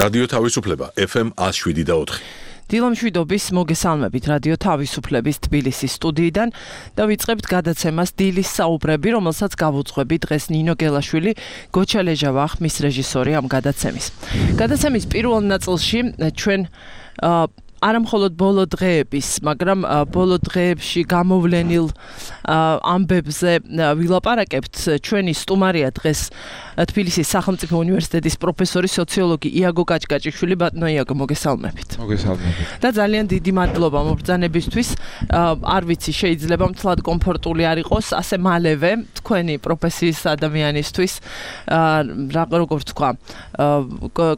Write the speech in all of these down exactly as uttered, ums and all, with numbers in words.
რადიო თავისუფლება F M one oh seven და four. დილამშვიდობის მოგესალმებით რადიო თავისუფლების თბილისის სტუდიიდან და ვიწყებთ გადაცემას დილის საუბრები, რომელსაც გავუძღვები დღეს ნინო გელაშვილი, გოჩა ლეჟავა ხმის რეჟისორი ამ გადაცემის. გადაცემის პირველ ნაწილში ჩვენ არა მხოლოდ ბოლო დღეების, მაგრამ ბოლო დღეებში გამოვლენილ ამბებზე ვილაპარაკებთ. ჩვენი სტუმარია დღეს თბილისის სახელმწიფო უნივერსიტეტის პროფესორი, სოციოლოგი იაგო კაჭკაჭიშვილი. ბატონო იაგო, მოგესალმებით. მოგესალმებით. და ძალიან დიდი მადლობა მობრძანებისთვის. არ ვიცი, შეიძლება მთლად კომფორტული არ იყოს ასე მალევე თქვენი პროფესიის ადამიანისთვის რა როგორ თქვა,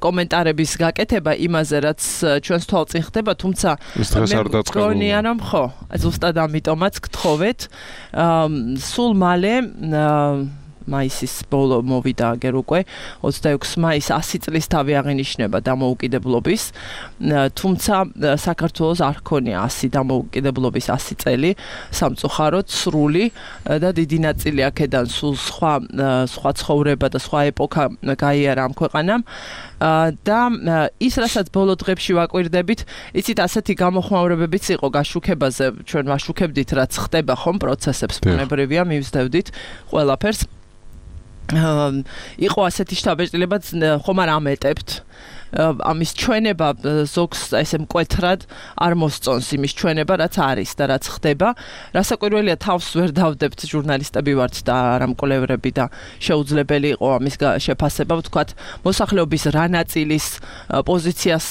კომენტარების გაკეთება იმაზე, რაც ჩვენს თვალწინ ხდება, თუმცა მგონია რომ ხო, ზუსტად ამიტომაც გთხოვეთ. სულ მალე მაისის ბოლო მოვიდა აგერ უკვე ოცდაექვსი მაისს ასი წლის თავი აღინიშნება დამოუკიდებლობის, თუმცა საქართველოს არ ჰქონია ასი დამოუკიდებლობის ასი წელი სამწუხაროდ სრული და დიდი ნაწილი აქედან სულ სხვა სხვა ცხოვრება და სხვა ეპოქა გაიარა ამ ქვეყანამ. და ის რასაც ბოლო დღეებში ვაკვირდებით, იცით ასეთი გამოხმაურებებიც იყო გაშუქებაზე, ჩვენ ვაშუქებდით რაც ხდება ხომ პროცესებს, ბუნებრივია მივსდევდით ყველაფერს. იყო ასეთი შთაბეჭდილება, ხომ არ ამეტებთ ამის ჩვენება ზოგს ესე მკვეთრად არ მოსწონს იმის ჩვენება, რაც არის და რაც ხდება. რასაკვირველია, თავს ვერ დავდებთ, ჟურნალისტები ვართ და არა მკვლევრები და შეუძლებელი იყო ამის შეფასება, ვთქვათ, მოსახლეობის რა ნაწილის პოზიციას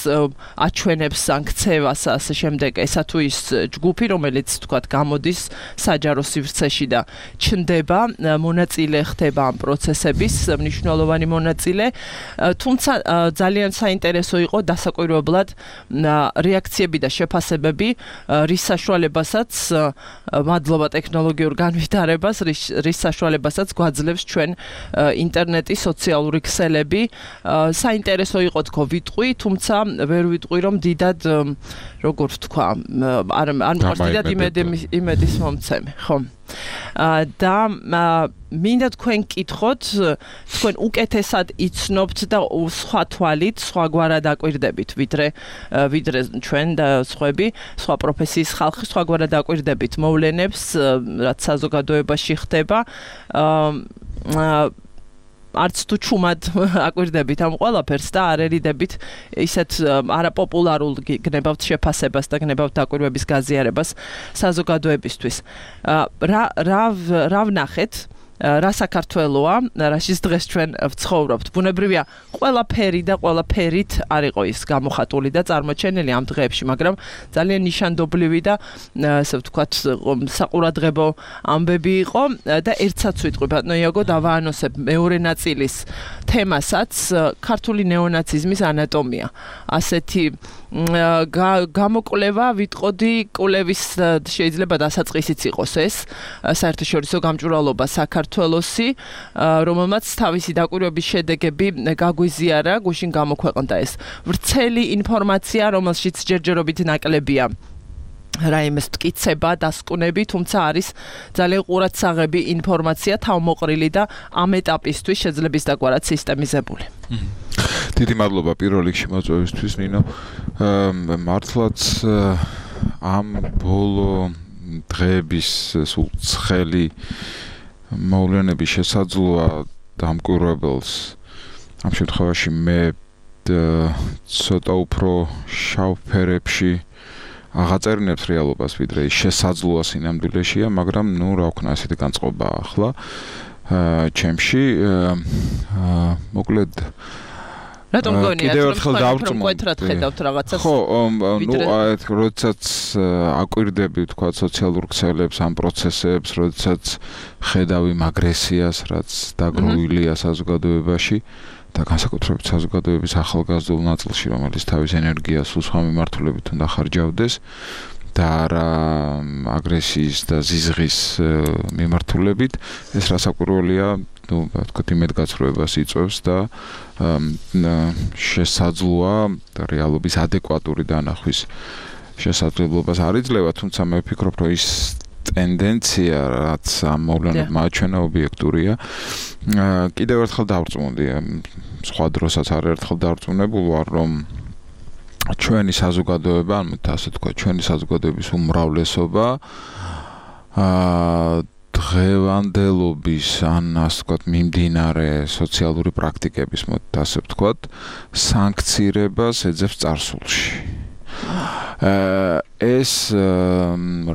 აჩვენებს სანქცევას, ასე შემდეგ, ესა თუ ის ჯგუფი, რომელიც ვთქვათ, გამოდის საჯარო სივრცეში და ჩნდება, მონაწილე ხდება ამ პროცესების, მნიშვნელოვანი მონაწილე, თუმცა ძალიან საინტერესო იყო დასაკვირვებლად რეაქციები და შეფასებები, რის საშუალებასაც, მადლობა ტექნოლოგიურ განვითარებას, რის საშუალებასაც გვაძლევს ჩვენ ინტერნეტი, სოციალური ქსელები. საინტერესო იყო თქო ვიტყვი, თუმცა ვერ ვიტყვი რომ დიდად როგორ ვთქვა, არ არ მყავს დიდად იმედის მომცემი, ხო? და მინდა თქვენ კითხოთ, თქვენ უკეთესად იცნობთ და სხვა თვალით, სხვაგვარად აკვირდებით, ვიდრე ვიდრე ჩვენ და სხვები, სხვა პროფესიის ხალხი, სხვაგვარად აკვირდებით მოვლენებს, რაც საზოგადოებაში ხდება. არც თუ ჩუმად აკვირდებით ამ ყველაფერს და არ ერიდებით ისეთ არაპოპულარულ გნებავთ შეფასებას და გნებავთ აკვირვების გაზიარებას საზოგადოებისთვის. რა რა რა ვნახეთ? რა საქართველოა, რაშიც დღეს ჩვენ ვცხოვრობთ. ბუნებრივია, ყველაფერი და ყველაფერით არ იყო ის გამოხატული და წარმოჩენილი ამ დღეებში, მაგრამ ძალიან ნიშანდობლივი და ასე ვთქვათ, საყურადღებო ამბები იყო და ერთსაც ვიტყვი, ბატონო იაგო, დავაანონსებ მეორე ნაწილის თემასაც, ქართული ნეონაციზმის ანატომია. ასეთი გამოკვლევა ვიტყოდი, კვლევის შეიძლება დასაწყისიც იყოს ეს, საერთაშორისო გამჭვირვალობა საქართველოსი, რომელმაც თავისი დაკვირვების შედეგები გაგვიზიარა, გუშინ გამოქვეყნდა ეს ვრცელი ინფორმაცია, რომელშიც ჯერჯერობით ნაკლებია რაიმეს მტკიცება, დასკვნები, თუმცა არის ძალიან ყურადსაღები ინფორმაცია, თავმოყრილი და ამ ეტაპისთვის შეძლების დაგვარად სისტემიზებული. დიდი მადლობა პირველ რიგში მოწვევისთვის, ნინო. მართლაც ამ ბოლო დღეების სულ ცხელი მოვლენების შესაძლოა დამკვირვებელს ამ შემთხვევაში მე ცოტა უფრო შავ ფერებში აღაწერინებს რეალობას, ვიდრე ის შესაძლოა სინამდვილეშია, მაგრამ ნუ რა ვქნა, ასეთი განწყობა ახლა ჩემში. მოკლედ რატომ გონიათ, რომ თქვენ მკვეთრად ხედავთ რაღაცას? ხო, ნუ როდესაც აკვირდები, თქვა, სოციალურ ქსელებს, ამ პროცესებს, როდესაც ხედავ იმ აგრესიას, რაც დაგროვილია საზოგადოებაში და განსაკუთრებით საზოგადოების ახალგაზრდულ ნაწილში, რომელიც თავის ენერგიას სულ სხვა მიმართულებით უნდა ხარჯავდეს და არა აგრესიის და ზიზღის მიმართულებით, ეს რასაკვირველია, ну, ვთქვათ, იმედგაცრუებას იწვევს და შესაძლოა რეალობის ადეკვატური დანახვის შესაძლებლობას არ იძლევა, თუმცა მე ვფიქრობ, რომ ის ტენდენცია, რაც ამ მოვლენებმა აჩვენა, ობიექტურია კიდევ ერთხელ დავწმუნდი, სხვა დროსაც არაერთხელ დავწმუნებული ვარ, რომ ჩვენი საზოგადოება, ანუ ასე თქვა, ჩვენი საზოგადოების უმრავლესობა აა დღევანდელობის ან ასე ვთქვათ, მიმდინარე სოციალური პრაქტიკების, მოდით ასე ვთქვათ, სანქცირებას ეძებს წარსულში. ეს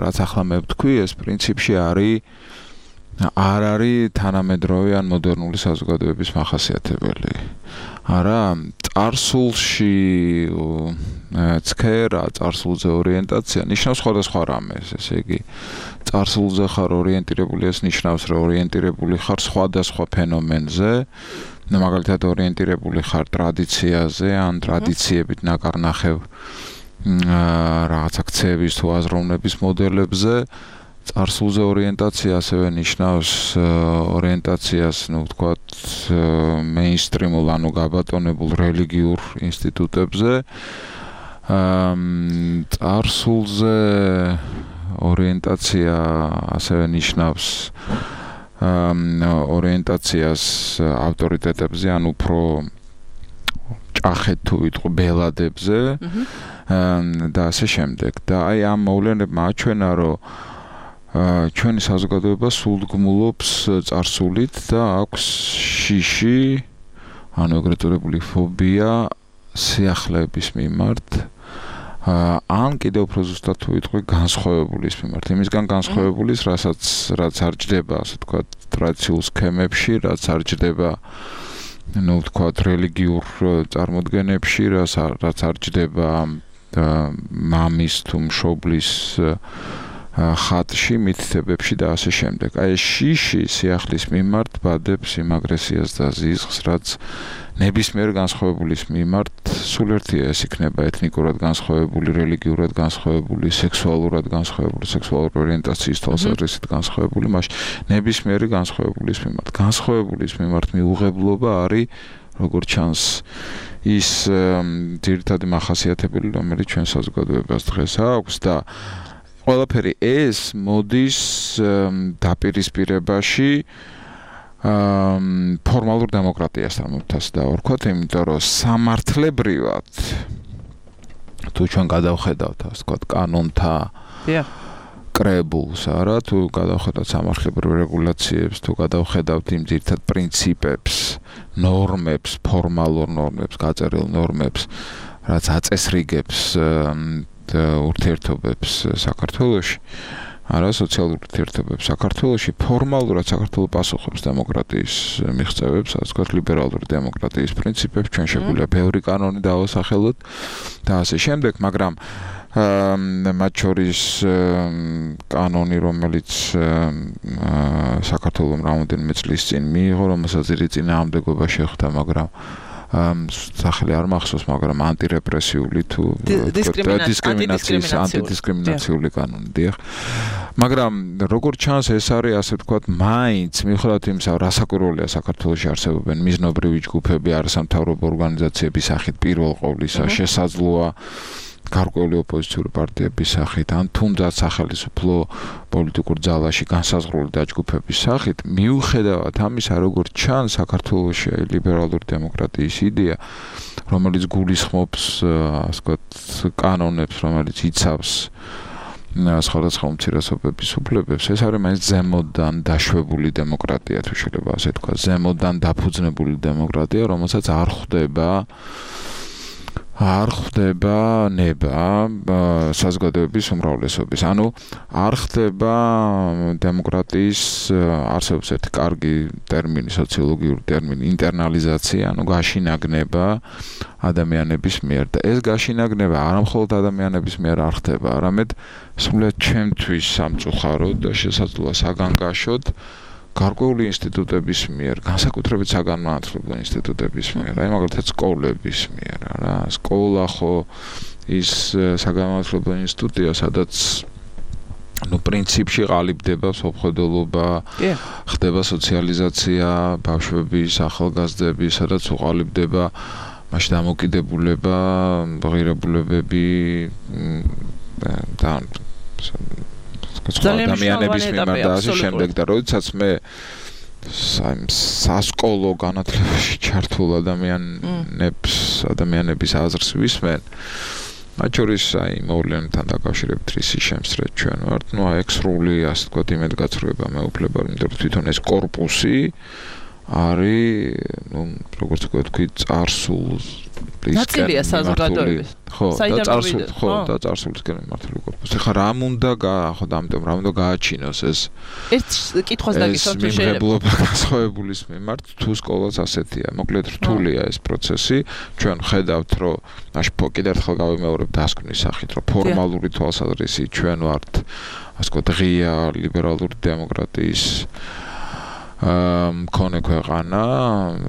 რაც ახლა მე ვთქვი, ეს პრინციპში არის არ არის თანამედროვე ან მოდერნული საზოგადოების მახასიათებელი. არა, წარსულში ცქერა, წარსულზე ორიენტაცია ნიშნავს სხვადასხვა რამეს, ესე იგი, წარსულზე ხარ ორიენტირებული, ეს ნიშნავს, რომ ორიენტირებული ხარ სხვადასხვა ფენომენზე, მაგალითად ორიენტირებული ხარ ტრადიციაზე, ან ტრადიციებით ნაკარნახევ რაღაც აქციების თუ აზროვნების მოდელებზე. წარსულზე ორიენტაცია ასევე ნიშნავს ორიენტაციას, ну, ვთქვათ, მეინსტრიმულ, ანუ გაბატონებულ რელიგიურ ინსტიტუტებზე. წარსულზე ორიენტაცია ასევე ნიშნავს ორიენტაციას ავტორიტეტებზე, ან უფრო ჭახეთ თუ ვიტყვი ბელადებზე და ასე შემდეგ. და აი ამ მოვლენებმა აჩვენა, რომ ჩვენი საზოგადოება სულდგმულობს წარსულით და აქვს შიში, ანუ ეგრეთ წოდებული ფობია სიახლეების მიმართ, ან კიდევ უფრო ზუსტად თუ ვიტყვი განსხვავებულის მიმართ. იმისგან განსხვავებულის, რასაც რაც არ ჯდება, ასე ვთქვათ, ტრადიციულ სქემებში, რაც არ ჯდება, ну, ვთქვათ, რელიგიურ წარმოდგენებში, რაც არ ჯდება მამის თუ მშობლის ხატში, მითითებებში და ასე შემდეგ. აი ეს შიში სიახლის მიმართ ბადებს იმ აგრესიას და ზიზღს, რაც ნებისმიერ განსხვავებულის მიმართ სულ ერთია, ეს იქნება ეთნიკურად განსხვავებული, რელიგიურად განსხვავებული, სექსუალურად განსხვავებული, სექსუალური ორიენტაციის თვალსაზრისით განსხვავებული, მაშინ ნებისმიერი განსხვავებულის მიმართ. განსხვავებულის მიმართ მიუღებლობა არის, როგორც ჩანს, ის ძირითადი მახასიათებელი, რომელიც ჩვენ საზოგადოებას დღეს აქვს და ყველაფერი ეს მოდის დაპირისპირებაში ფორმალურ დემოკრატიასთან, მოთას დავარქვათ, იმიტომ რომ სამართლებრივად თუ ჩვენ გადავხედავთ, ასე ვთქვათ, კანონთა კრებულს, არა, თუ გადავხედავთ სამართლებრივ რეგულაციებს, თუ გადავხედავთ იმ ძირითად პრინციპებს, ნორმებს, ფორმალურ ნორმებს, გაწერილ ნორმებს, რაც აწესრიგებს ურთიერთობებს საქართველოში, არა, სოციალურ ურთიერთობებს საქართველოში, ფორმალურად საქართველო პასუხობს დემოკრატიის მიღწევებს, ასე ვთქვათ, ლიბერალური დემოკრატიის პრინციპებს, ჩვენ შეგვიძლია ბევრი კანონი დავასახელოთ და ასე შემდეგ, მაგრამ მათ შორის კანონი, რომელიც საქართველომ რამდენიმე წლის წინ მიიღო, რომელსაც დიდი წინააღმდეგობა შეხვდა, მაგრამ სახელი არ მახსოვს, მაგრამ ანტირეპრესიული თუ დისკრიმინაციის ანტიდისკრიმინაციული კანონი, დიახ. მაგრამ როგორც ჩანს, ეს არის, ასე ვთქვათ, მაინც მიუხედავად იმისა, რა საკვირველია საქართველოში არსებობენ მიზნობრივი ჯგუფები, არასამთავრობო ორგანიზაციების სახით პირველ ყოვლისა, შესაძლოა გარკვეული ოპოზიციური პარტიების სახით, ან თუნდაც სახელმწიფო პოლიტიკურ ძალაში განსაზღვრული დაჯგუფების სახით, მიუხედავად ამისა, როგორც ჩანს, საქართველოში ლიბერალური დემოკრატიის იდეა, რომელიც გულისხმობს, ასე ვთქვათ, კანონებს, რომელიც იცავს სხვადასხვა უმცირესობების უფლებებს, ეს არის მაინც ზემოდან დაშვებული დემოკრატია, თუ შეიძლება ასე ვთქვათ, ზემოდან დაფუძნებული დემოკრატია, რომელსაც არ ხვდება არ ხდება ნება საზოგადოების უმრავლესობის. ანუ არ ხდება დემოკრატიის არსებობს ერთი კარგი ტერმინი, სოციოლოგიური ტერმინი, ინტერნალიზაცია, ანუ გაშინაგნება ადამიანების მიერ და ეს გაშინაგნება არა მხოლოდ ადამიანების მიერ არ ხდება, არამედ სულად ჩემთვის სამწუხაროდ და შესაძლოა საგანგაშოდ გარკვეული ინსტიტუტების მიერ, განსაკუთრებით საგანმანათლებლო ინსტიტუტების მიერ, აი მაგალითად სკოლების მიერ, რა, სკოლა ხო ის საგანმანათლებლო ინსტიტუტია, სადაც ну პრინციპში ყალიბდება სოფხედელობა, ხდება სოციალიზაცია, ბავშვების, ახალგაზრდების, სადაც უყალიბდება მაშინ დამოკიდებულება, ღირებულებები და ადამიანების მიმართ და ასე შემდეგ და როდესაც მე სასკოლო განათლებაში ჩართულ ადამიანებს, ადამიანების აზრს ვისმენ. მათ შორის აი მოვლენებთან დაკავშირებით ისი შემსწრეთ ჩვენ ვართ. ნუ აი ეს სრული ასე ვთქვათ იმედგაცრუება მეუფლება, იმიტომ რომ თვითონ ეს კორპუსი არის, ნუ როგორც ვთქვი, წარსულ ნაწილია საზოგადოების. ხო, და წარსულ, ხო, და წარსულისკენ მიმართული კორპუსი. ხა რა უნდა ხო და ამიტომ რა უნდა გააჩინოს ეს ერთ კითხვას დაგისვამ თუ შეიძლება. მიღებლობა განსხვავებულის მიმართ თუ სკოლას ასეთია. მოკლედ რთულია ეს პროცესი. ჩვენ ხედავთ, რომ მაშ კიდევ ერთხელ გავიმეორებ დასკვნის სახით, რომ ფორმალური თვალსაზრისით ჩვენ ვართ, ასე ვთქვათ, ღია ლიბერალური დემოკრატიის მქონე ქვეყანა,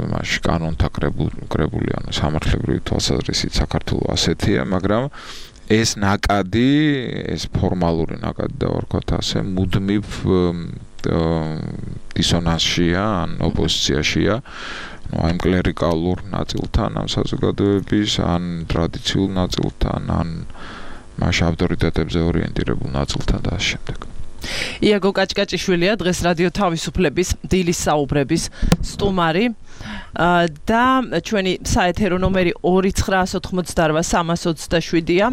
მაშ კანონთა კრებული, ანუ სამართლებრივი თვალსაზრისით საქართველოს ასეთია, მაგრამ ეს ნაკადი, ეს ფორმალური ნაკადი და ვარქვათ ასე, მუდმივ დისონანსშია, ან ოპოზიციაშია, ну, ამ კლერიკალურ ნაწილთან, ამ საზოგადოების, ან ტრადიციულ ნაწილთან, ან მაშ ავტორიტეტებზე ორიენტირებულ ნაწილთან და ამ შემდეგ. იაგო კაჭკაჭიშვილია დღეს რადიო თავისუფლების დილის საუბრების სტუმარი და ჩვენი საეთერო ნომერი ორი ცხრაას ოთხმოცდარბა სამას ოცდაშვიდია.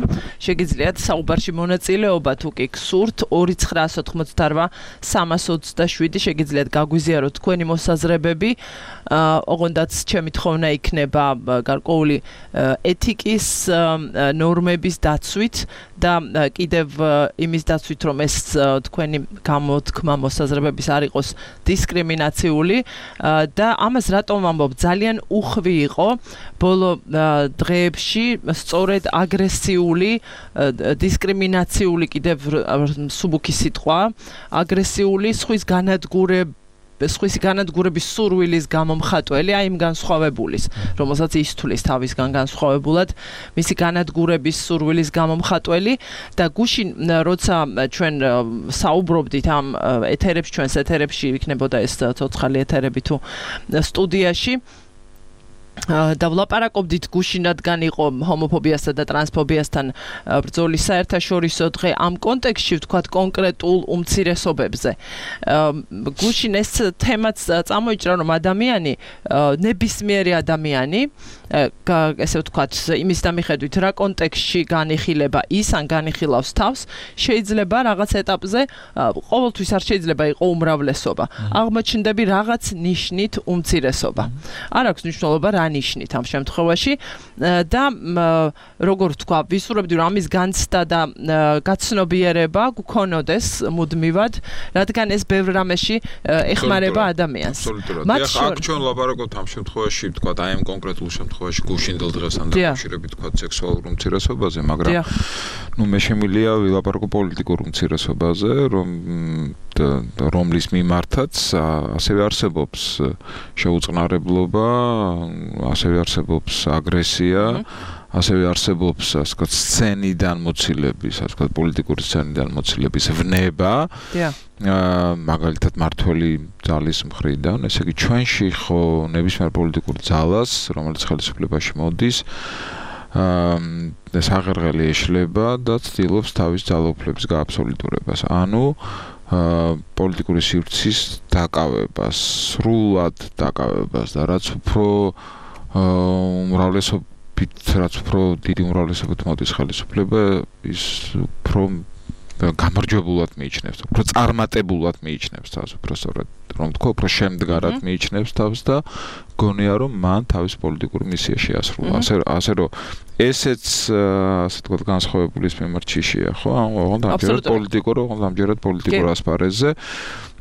შეგიძლიათ საუბარში მონაწილეობა თუ კი გსურთ ორი ცხრაას ოთხმოცდარბა სამას ოცდაშვიდი შეგიძლიათ გაგვიზიაროთ თქვენი მოსაზრებები. ოღონდაც ჩემი თხოვნა იქნება გარკვეული ეთიკის ნორმების დაცვით და კიდევ იმის დაცვით, რომ ეს თქვენი გამოთქმა მოსაზრებების არ იყოს დისკრიმინაციული და ამას რატომ ვამბობ, ძალიან უხვი იყო ბოლო დღეებში სწორედ აგრესიული, დისკრიმინაციული, კიდევ მსუბუქი სიტყვა, აგრესიული სხვის განადგურება სხვისი განადგურების სურვილის გამომხატველი, აი იმ განსხვავებულის, რომელსაც ის თulis თავისგან განსხვავებულად, მისი განადგურების სურვილის გამომხატველი და გუშინ როცა ჩვენ საუბრობდით ამ ეთერებში, ჩვენს ეთერებში იქნებოდა ეს ცოცხალი ეთერები თუ სტუდიაში და ვლაპარაკობდით გუშინ რადგან იყო ჰომოფობიასთან და ტრანსფობიასთან ბრძოლის საერთაშორისო დღე ამ კონტექსტში ვთქვათ კონკრეტულ უმცირესობებზე. გუშინ ეს თემაც წამოიჭრა, რომ ადამიანი, ნებისმიერი ადამიანი, ესე ვთქვათ, იმის დამიხედვით რა კონტექსტში განიხილება ის ან განიხილავს თავს, შეიძლება რაღაც ეტაპზე, ყოველთვის არ შეიძლება იყოს უმრავლესობა. აღმოჩნდები რაღაც ნიშნით უმცირესობა. არ აქვს მნიშვნელობა რა ნიშნით ამ შემთხვევაში და როგორ ვთქვა, ვისურვებდი რომ ამის განცდა და გაცნობიერება გქონოდეს მუდმივად, რადგან ეს ბევრ რამეში ეხმარება ადამიანს. მათ შორის ჩვენ ლაპარაკობთ ამ შემთხვევაში, ვთქვა, აი ამ კონკრეტულ შემთხვევაში გუშინდელ დღესთან დაკავშირებით, ვთქვა, სექსუალურ უმცირესობაზე, მაგრამ ნუ მე შემიძლია ვილაპარაკო პოლიტიკურ უმცირესობაზე, რომ რომლის მიმართაც ასევე არსებობს შეუწყნარებლობა, ასევე არსებობს აგრესია, ასევე არსებობს, ასე ვთქვათ, სცენიდან მოცილების, ასე ვთქვათ, პოლიტიკური სცენიდან მოცილების ვნება. მაგალითად მართველი ძალის მხრიდან, ესე იგი ჩვენში ხო ნებისმიერ პოლიტიკურ ძალას, რომელიც ხელისუფლებაში მოდის, ეს აღერღელი ეშლება და ცდილობს თავის ძალაუფლების გააბსოლუტურებას. ანუ პოლიტიკური სივრცის დაკავებას, სრულად დაკავებას და რაც უფრო უმრავლესობით, რაც უფრო დიდი უმრავლესობით მოდის ხელისუფლება, ის უფრო გამარჯვებულად მიიჩნევს, უფრო წარმატებულად მიიჩნევს თავს, უფრო სწორად რომ თქვა, უფრო შემდგარად მიიჩნევს თავს და გონია რომ მან თავის პოლიტიკური მისია შეასრულა. ასე ასე რომ ესეც ასე ვთქვათ განსხვავებულის მიმართ შიშია, ხო? ოღონდ ამჯერად პოლიტიკურ, ოღონდ ამჯერად პოლიტიკურ ასპარეზზე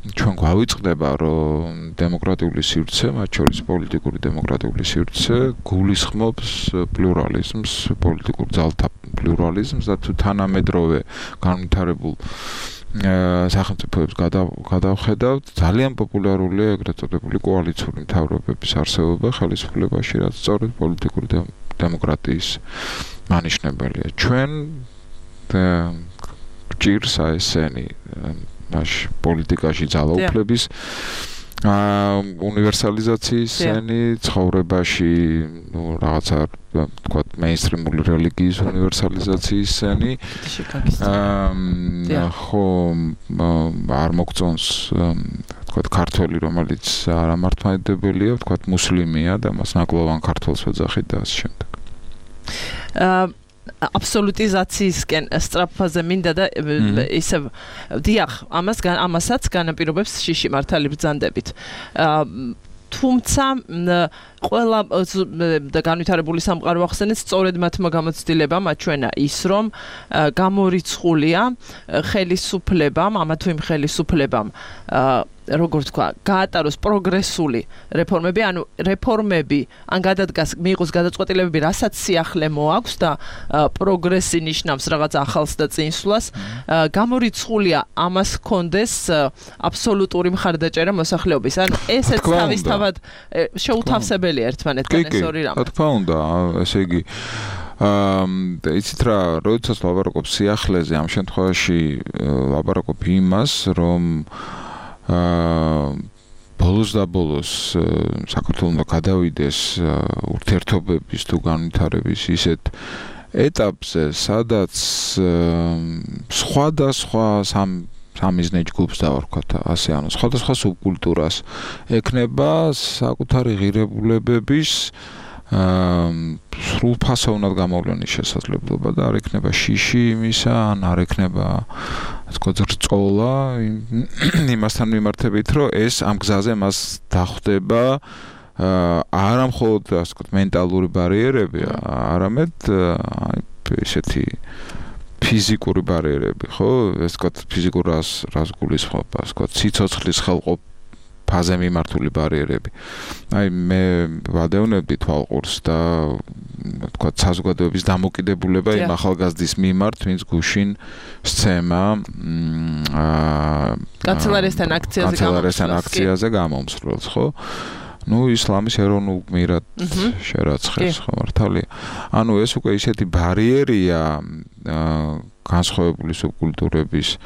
ჩვენ გვავიწყდება, რომ დემოკრატიული სივრცე, მათ შორის პოლიტიკური დემოკრატიული სივრცე გულისხმობს პლურალიზმს, პოლიტიკურ ძალთა პლურალიზმს და თუ თანამედროვე განვითარებულ სახელმწიფოებს გადავხედავთ, ძალიან პოპულარულია ეგრეთ წოდებული კოალიციური მთავრობების არსებობა ხელისუფლებაში, რაც სწორედ პოლიტიკური დემოკრატიის მანიშნებელია. ჩვენ გჭირს აი ესენი მაშ პოლიტიკაში ძალაუფლების უნივერსალიზაციის სენი, ცხოვრებაში ნუ რაღაცა ვთქვათ მეინსტრიმული რელიგიის უნივერსალიზაციის სენი. ხო არ მოგწონს ვთქვათ, ქართველი, რომელიც არამართლმადიდებელია, ვთქვათ, მუსლიმია და მას ნაკლოვან ქართველს ვეძახით და ასე შემდეგ. აა აბსოლუტიზაციისკენ სწრაფაზე მინდა და ისე დიახ, ამას ამასაც განაპირობებს შიში მართალი ბრძანდებით. აა თუმცა ყველა და განვითარებული სამყარო ახსენეთ სწორედ მათმა გამოცდილებამ აჩვენა ის, რომ გამორიცხულია ხელისუფლებამ, ამა თუ იმ ხელისუფლებამ როგორ თქვა, გაატაროს პროგრესული რეფორმები, ანუ რეფორმები ან გადადგას მიიღოს გადაწყვეტილებები, რასაც სიახლე მოაქვს და პროგრესი ნიშნავს რაღაც ახალს და წინსვლას, გამორიცხულია ამას ჰქონდეს აბსოლუტური მხარდაჭერა მოსახლეობის. ანუ ესეც თავისთავად შეუთავსებელია ერთმანეთთან ეს ორი რამ. რა თქმა უნდა, ესე იგი აა იცით რა, როდესაც ლაპარაკობ სიახლეზე, ამ შემთხვევაში ლაპარაკობ იმას, რომ აა ბოლოს და ბოლოს საქართველოს უნდა გადავიდეს ურთიერთობების თუ განვითარების ისეთ ეტაპზე, სადაც სხვადასხვა სამ სამიზნე ჯგუფს დავარქვათ, ასე ანუ სხვადასხვა სუბკულტურას ექნება საკუთარი ღირებულებების აა სრულფასოვნად გამოვლენის შესაძლებლობა და არ ექნება შიში იმისა, ან არ ექნება თქო ზრწოლა იმასთან მიმართებით, რომ ეს ამ გზაზე მას დახვდება არა მხოლოდ ასე ვთქვათ მენტალური ბარიერები, არამედ ესეთი ფიზიკური ბარიერები, ხო? ეს ვთქვათ ფიზიკურ რას რას გულისხმობ, ასე ვთქვათ სიცოცხლის ხელყოფ ფაზე მიმართული ბარიერები. აი მე ვადევნებდი თვალყურს და ვთქვათ საზოგადოების დამოკიდებულება იმ ახალგაზრდის მიმართ, ვინც გუშინ სცემა აა კანცელარიასთან აქციაზე კანცელარიასთან აქციაზე გამომსვლელს, ხო? ნუ ისლამის ეროვნულ გმირად შერაცხეს, ხო მართალია. ანუ ეს უკვე ისეთი ბარიერია განსხვავებული სუბკულტურების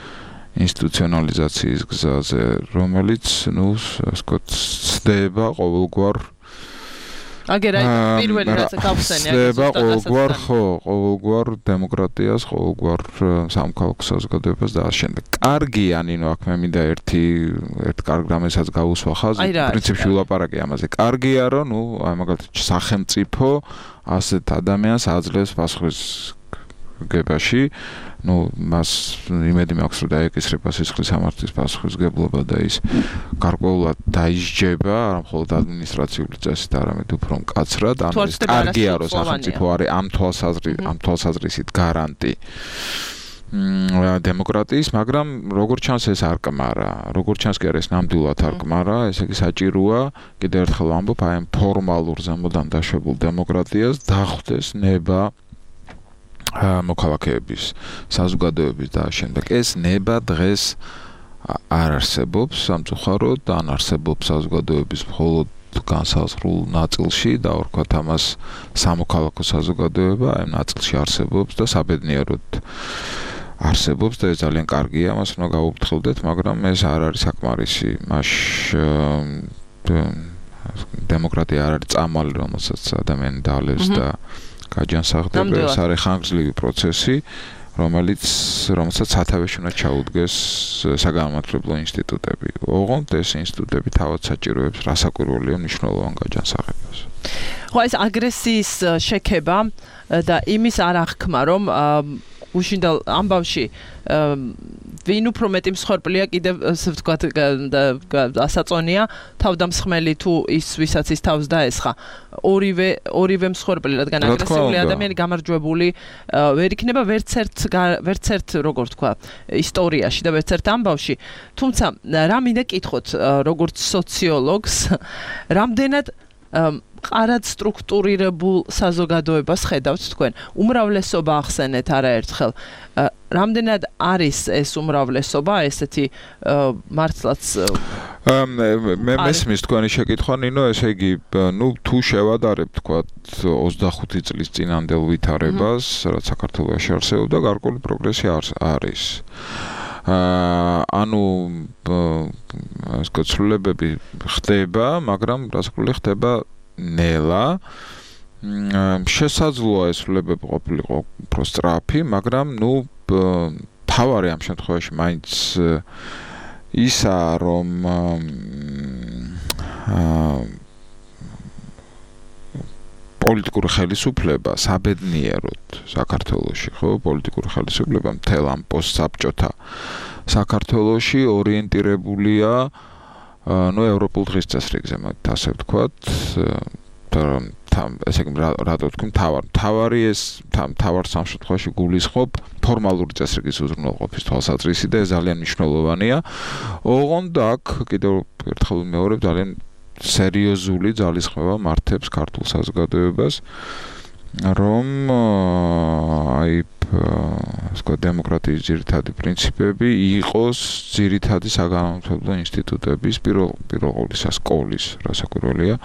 ინსტიტუციონალიზაციის გზაზე, რომელიც, ну, ასე ვთქვათ, ცდება ყოველგვარ აგერ აი პირველი რაც გავხსენე, ცდება ყოველგვარ, ხო, ყოველგვარ დემოკრატიას, ყოველგვარ სამოქალაქო საზოგადოებას და ასე შემდეგ. კარგია, ნინო, აქ მე მინდა ერთი ერთ კარგ რამესაც გავუსვა ხაზი, პრინციპში ვილაპარაკე ამაზე. კარგია, რომ, ну, აი მაგალითად სახელმწიფო ასეთ ადამიანს აძლევს პასუხის გებაში, ну, მას იმედი მაქვს, რომ დაეკისრება სისხლის სამართლის პასუხისმგებლობა და ის გარკვეულად დაისჯება, არა მხოლოდ ადმინისტრაციული წესით, არამედ უფრო მკაცრად, ანუ ეს კარგია, რომ სახელმწიფო არის ამ თვალსაზრისით, ამ თვალსაზრისით გარანტი დემოკრატიის, მაგრამ როგორც ჩანს ეს არ კმარა, როგორც ჩანს კი არის ნამდვილად არ კმარა, ესე იგი საჭიროა, კიდევ ერთხელ ვამბობ, აი ამ ფორმალურ ზემოდან დაშვებულ დემოკრატიას დახვდეს ნება მოქალაქეების, საზოგადოების და შემდეგ. ეს ნება დღეს არ არსებობს სამწუხაროდ, ან არსებობს საზოგადოების მხოლოდ განსაზღვრულ ნაწილში და ვთქვათ ამას სამოქალაქო საზოგადოება აი ნაწილში არსებობს და საბედნიეროდ არსებობს და ეს ძალიან კარგია, მას უნდა გავუფრთხილდეთ, მაგრამ ეს არ არის საკმარისი. მას დემოკრატია არ არის წამალი, რომელსაც ადამიანი დალევს და გაჯანსაღდება, ეს არის ხანგრძლივი პროცესი, რომელიც რომელსაც სათავეში უნდა ჩაუდგეს საგანმანათლებლო ინსტიტუტები. ოღონდ ეს ინსტიტუტები თავად საჭიროებს რასაკვირველია მნიშვნელოვან გაჯანსაღებას. ხო, ეს აგრესიის შექება და იმის არ აღქმა, რომ უშინდელ ამბავში ვინ უფრო მეტი მსხვერპლია კიდევ ასე ვთქვათ ასაწონია თავდამსხმელი თუ ის ვისაც ის თავს დაესხა ორივე ორივე მსხვერპლი რადგან აგრესიული ადამიანი გამარჯვებული ვერ იქნება ვერც ერთ ვერც ერთ როგორ თქვა ისტორიაში და ვერც ერთ ამბავში თუმცა რა მინდა კითხოთ როგორც სოციოლოგს რამდენად ყარად სტრუქტურირებულ საზოგადოებას ხედავთ თქვენ. უმრავლესობა ახსენეთ არაერთხელ. რამდენად არის ეს უმრავლესობა, ესეთი მართლაც მე მესმის თქვენი შეკითხვა, ნინო, ესე იგი, ნუ თუ შევადარებთ, თქვათ, ოცდახუთი წლის წინანდელ ვითარებას, რაც საქართველოში არსებობდა, გარკვეული პროგრესი არის. ანუ ეს კაცოლებები ხდება, მაგრამ რასაკვირველი ხდება ნელა შესაძლოა ეს სრულებები ყოფილიყო უფრო სწრაფი, მაგრამ ნუ თავარი ამ შემთხვევაში მაინც ისა რომ პოლიტიკური ხელისუფლება საბედნიეროდ საქართველოში, ხო, პოლიტიკური ხელისუფლება მთელ ამ პოსტსაბჭოთა საქართველოში ორიენტირებულია ნუ ევროპულ დღესწესრიგზე, მათ ასე ვთქვათ, ესე იგი რატო ვთქვი, მთავარ მთავარი ეს მთავარ სამშობლოში გულისხმობ ფორმალური წესრიგის უზრუნველყოფის თვალსაზრისით და ეს ძალიან მნიშვნელოვანია. ოღონდ აქ კიდევ ერთხელ ვიმეორებ, ძალიან სერიოზული ძალისხმევა მართებს ქართულ საზოგადოებას, რომ აი სხვა დემოკრატიის ძირითადი პრინციპები იყოს ძირითადი საგანმანათლებლო ინსტიტუტების პირველ პირველ ყოვლისა სკოლის, რასაკვირველია,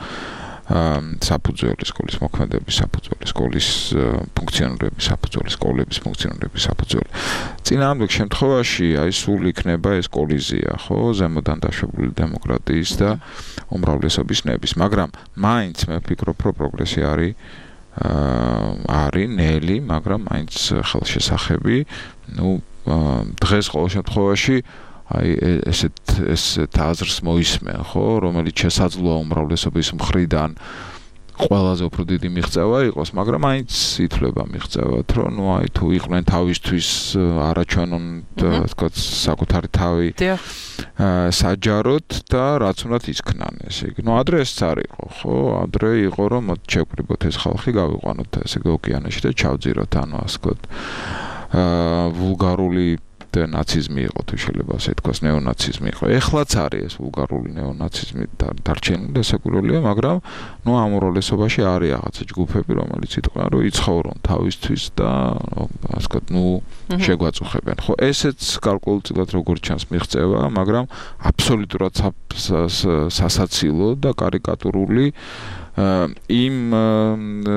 საფუძველი სკოლის მოქმედების საფუძველი სკოლის ფუნქციონირების საფუძველი სკოლების ფუნქციონირების საფუძველი. წინააღმდეგ შემთხვევაში აი სულ იქნება ეს კოლიზია, ხო, ზემოდან დაშვებული დემოკრატიის და უმრავლესობის ნების, მაგრამ მაინც მე ვფიქრობ, რომ პროგრესი არის არის ნელი, მაგრამ მაინც ხელშესახები, ნუ დღეს ყოველ შემთხვევაში აი ესეთ ესეთ აზრს მოისმენ, ხო, რომელიც შესაძლოა უმრავლესობის მხრიდან ყველაზე უფრო დიდი მიღწევა იყოს, მაგრამ მაინც ითვლება მიღწევად, რომ ნუ აი თუ იყვნენ თავისთვის არაჩვენონ თქო საკუთარი თავი საჯაროდ და რაც უნდათ ისქნან, ესე იგი. ნუ ადრე ეს არ იყო, ხო, ადრე იყო რომ მოდ შევკრიბოთ ეს ხალხი, გავიყვანოთ ესე იგი ოკეანეში და ჩავძიროთ, ანუ ასე ვთქვათ, აა ვულგარული ნაციზმი იყო, თუ შეიძლება ასე თქვას, ნეონაციზმი იყო. ეხლაც არის ეს ვულგარული ნეონაციზმი დარჩენილი და საკურველია, მაგრამ ნუ ამ უმრავლესობაში არის რაღაცა ჯგუფები, რომელიც იტყვიან, რომ იცხოვრონ თავისთვის და ასე ვთქვათ, ნუ შეგვაწუხებენ. ხო, ესეც გარკვეულწილად როგორც ჩანს მიღწევა, მაგრამ აბსოლუტურად სასაცილო და კარიკატურული იმ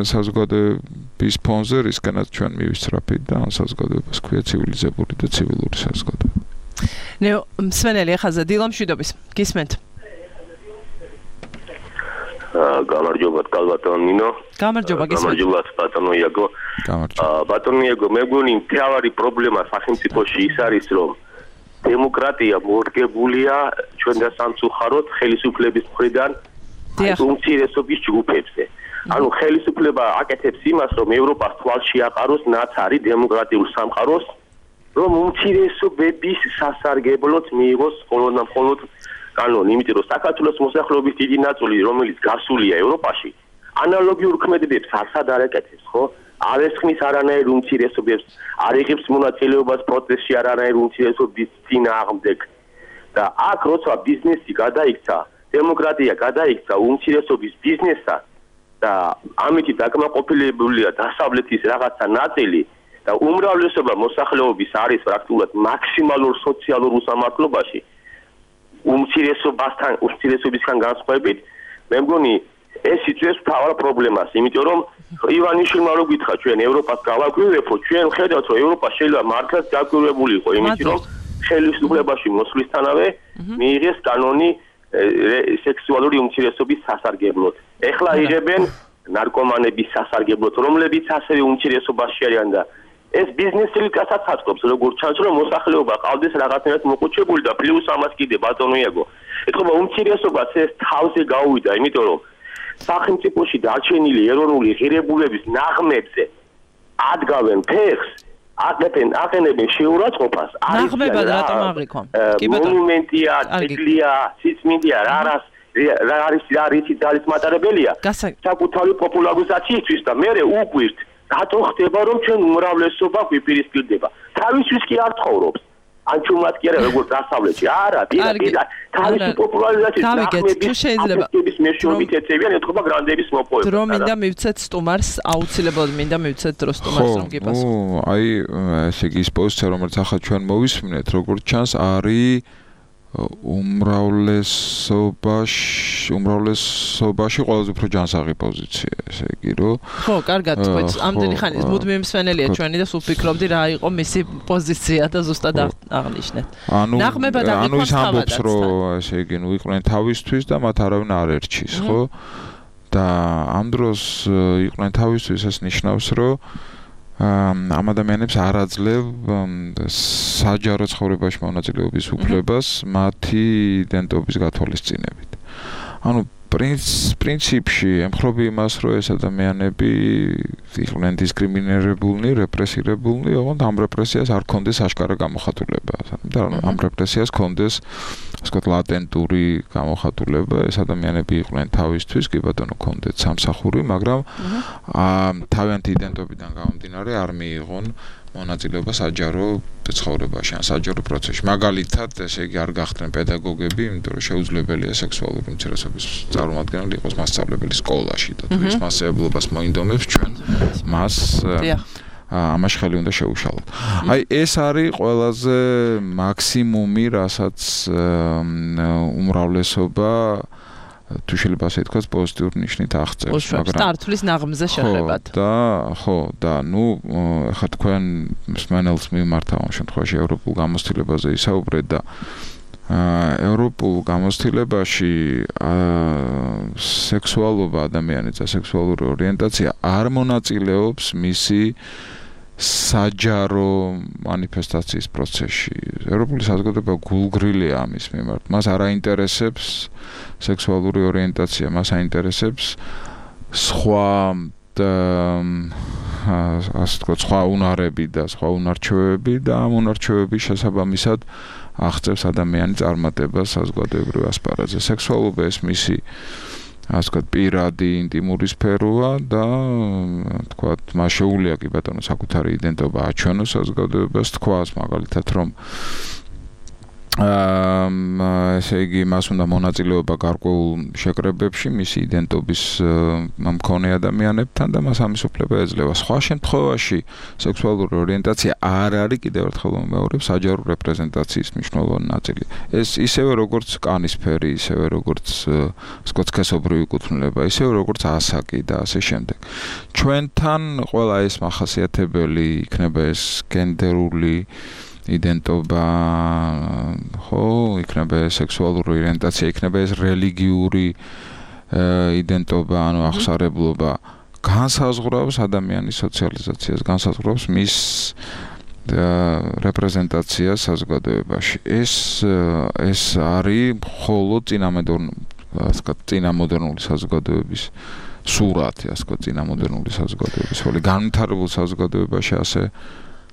საზოგადოების ფონზე, რისკენაც ჩვენ მივისწრაფით და ამ საზოგადოებას ქვია ცივილიზებული და ცივილური საზოგადოება. ნეო მსმენელი ახალზე დილამ შვიდობის. გისმენთ. გამარჯობა, კალბატონ ნინო. გამარჯობა, გისმენთ. გამარჯობა, ბატონო იაგო. გამარჯობა. ბატონო იაგო, მე მგონი მთავარი პრობლემა სახელმწიფოში ის არის, რომ დემოკრატია მორგებულია ჩვენ და სამწუხაროდ ხელისუფლების მხრიდან უმცირესობის ჯგუფებზე. ანუ ხელისუფლება აკეთებს იმას, რომ ევროპას თვალში აყაროს ნაცარი დემოკრატიულ სამყაროს, რომ უმცირესობების სასარგებლოდ მიიღოს მხოლოდ და მხოლოდ კანონი, იმიტომ რომ საქართველოს მოსახლეობის დიდი ნაწილი, რომელიც გასულია ევროპაში, ანალოგიურ ქმედებებს არსად არ აკეთებს, ხო? არ ესხმის არანაირ უმცირესობებს, არ იღებს მონაწილეობას პროცესში არანაირ უმცირესობის წინააღმდეგ. და აქ როცა ბიზნესი გადაიქცა, დემოკრატია გადაიქცა უმცირესობის ბიზნესად და ამით დაკმაყოფილებულია დასავლეთის რაღაცა ნაწილი და უმრავლესობა მოსახლეობის არის პრაქტიკულად მაქსიმალურ სოციალურ უსამართლობაში უმცირესობასთან უმცირესობისგან განსხვავებით, მე მგონი ეს იწვევს მთავარ პრობლემას, იმიტომ რომ ივანიშვილმა რო გითხრა ჩვენ ევროპას გავაკვირვებო, ჩვენ ხედავთ რომ ევროპა შეიძლება მართლაც დაკვირვებული იყო, იმიტომ რომ ხელისუფლებაში მოსვლისთანავე მიიღეს კანონი სექსუალური უმცირესობის სასარგებლოდ. ეხლა იღებენ ნარკომანების სასარგებლოდ, რომლებიც ასევე უმცირესობაში არიან და ეს ბიზნესელი კაცაც აწყობს, როგორც ჩანს, რომ მოსახლეობა ყავდეს რაღაცნაირად მოყუჩებული და პლუს ამას კიდე ბატონო იაგო. ეთქობა უმცირესობას ეს თავზე გაუვიდა, იმიტომ რომ სახელმწიფოში დარჩენილი ეროვნული ღირებულების ნაღმებზე ადგავენ ფეხს, აკეთენ აყენებენ შეურაცხყოფას, ნაღმებად რატომ აღიქვა? კი ბატონო. მონუმენტია, ტიტლია, სიწმინდეა, რა რას რა არის რა რითი ძალის მატარებელია? საკუთარი პოპულარიზაციისთვის და მე უკვირთ რატო ხდება რომ ჩვენ უმრავლესობა გვიპირისპირდება? თავისთვის კი არ ცხოვრობს. ან ჩუმად კი არა როგორც დასავლეთში. არა, პირდაპირ თავისი პოპულარიზაციის ნახმების მეშვეობით ეწევიან ეთქობა გრანდების მოპოვება. დრო მინდა მივცეთ სტუმარს, აუცილებლად მინდა მივცეთ დრო სტუმარს რომ გიპასუხო. ხო, აი ესე იგი ის პოზიცია რომელიც ახლა ჩვენ მოვისმინეთ, როგორც ჩანს არის უმრავლესობაში უმრავლესობაში ყველაზე უფრო ჯანსაღი პოზიცია, ესე იგი რომ ხო, კარგად თქვით. ამდენი ხანი მუდმივი მსმენელია ჩვენი და სულ ფიქრობდი რა იყო მისი პოზიცია და ზუსტად აღნიშნეთ. ანუ ანუ ის ამბობს რომ ესე იგი ნუ იყვნენ თავისთვის და მათ არავინ არ ერჩის, ხო? და ამ დროს იყვნენ თავისთვის ეს ნიშნავს რომ ამ ადამიანებს არ აძლევ საჯარო ცხოვრებაში მონაწილეობის უფლებას მათი იდენტობის გათვალისწინებით. ანუ პრინციპში ემხრობი იმას, რომ ეს ადამიანები იყვნენ დისკრიმინირებულნი, რეპრესირებულნი, ოღონდ ამ რეპრესიას არ ქონდეს აშკარა გამოხატულება. და ამ რეპრესიას ქონდეს, ასე ვთქვათ, ლატენტური გამოხატულება. ეს ადამიანები იყვნენ თავისთვის, კი ბატონო, ქონდეთ სამსახური, მაგრამ თავიანთი იდენტობიდან გამომდინარე არ მიიღონ მონაწილეობა საჯარო ცხოვრებაში ან საჯარო პროცესში. მაგალითად, ესე იგი არ გახდნენ პედაგოგები, იმიტომ რომ შეუძლებელია სექსუალური უმცირესობის წარმომადგენელი იყოს მასწავლებელი სკოლაში და თუ ის მასწავლებლობას მოინდომებს ჩვენ მას ამაში ხელი უნდა შეუშალოთ. აი ეს არის ყველაზე მაქსიმუმი, რასაც უმრავლესობა თუ შეიძლება ასე ითქვას პოზიტიურ ნიშნით აღწევს, მაგრამ სტარტulis ნაღმზე შეხებათ. და ხო, და ნუ ახლა თქვენ მსმენელს მიმართ ამ შემთხვევაში ევროპულ გამოცდილებაზე ისაუბრეთ და ევროპულ გამოცდილებაში სექსუალობა ადამიანის და სექსუალური ორიენტაცია არ მონაწილეობს მისი საჯარო მანიფესტაციის პროცესში. ევროპული საზოგადოება გულგრილია ამის მიმართ. მას არ აინტერესებს სექსუალური ორიენტაცია, მას აინტერესებს სხვა ასე ვთქვათ, სხვა უნარები და სხვა უნარჩვევები და ამ უნარჩვევების შესაბამისად აღწევს ადამიანის წარმატებას საზოგადოებრივ ასპარეზზე. სექსუალობა ეს მისი ასე ვთქვათ, პირადი ინტიმური სფეროა და ვთქვათ, მას შეუძლია კი ბატონო საკუთარი იდენტობა აჩვენოს საზოგადოებას, თქვას მაგალითად, რომ აა ესე იგი მას უნდა მონაწილეობა გარკვეულ შეკრებებში მისი იდენტობის მქონე ადამიანებთან და მას ამის უფლება ეძლევა. სხვა შემთხვევაში სექსუალური ორიენტაცია არ არის კიდევ ერთხელ ვიმეორებ საჯარო რეპრეზენტაციის მნიშვნელოვანი ნაწილი. ეს ისევე როგორც კანისფერი, ისევე როგორც სკოცქესობრივი კუთვნილება, ისევე როგორც ასაკი და ასე შემდეგ. ჩვენთან ყველა ეს მახასიათებელი იქნება ეს გენდერული იდენტობა, ხო, იქნება სექსუალური ორიენტაცია, იქნება ეს რელიგიური იდენტობა, ანუ აღსარებლობა, განსაზღვრავს ადამიანის სოციალიზაციას, განსაზღვრავს მის რეპრეზენტაციას საზოგადოებაში. ეს ეს არის მხოლოდ წინამედროვე, ასე ვთქვათ, წინამოდერნული საზოგადოების სურათი, ასე ვთქვათ, წინამოდერნული საზოგადოების, ხოლო განვითარებულ საზოგადოებაში ასე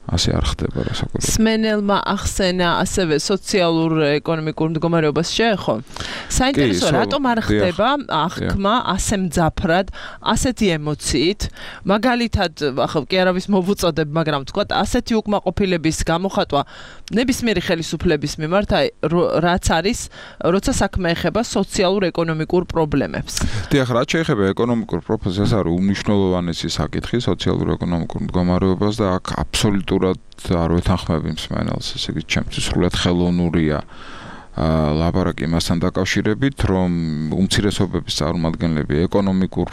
ასე არ ხდება რასაკვირველია. სმენელმა ახსენა ასევე სოციალურ ეკონომიკურ მდგომარეობას შეეხო. საინტერესოა, რატომ არ ხდება აღქმა ასე მძაფრად, ასეთი ემოციით, მაგალითად, ახლა კი არავის მოვუწოდებ, მაგრამ თქვათ, ასეთი უკმაყოფილების გამოხატვა ნებისმიერი ხელისუფლების მიმართ, აი, რაც არის, როცა საქმე ეხება სოციალურ-ეკონომიკურ პრობლემებს. დიახ, რაც შეეხება ეკონომიკურ პროფესიას, არის უმნიშვნელოვანესი საკითხი სოციალურ-ეკონომიკურ მდგომარეობას და აქ აბსოლუტურად არ ვეთანხმები მსმენელს, ესე იგი, ჩემთვის სრულად ხელოვნურია ლაპარაკი იმასთან დაკავშირებით, რომ უმცირესობების წარმომადგენლები ეკონომიკურ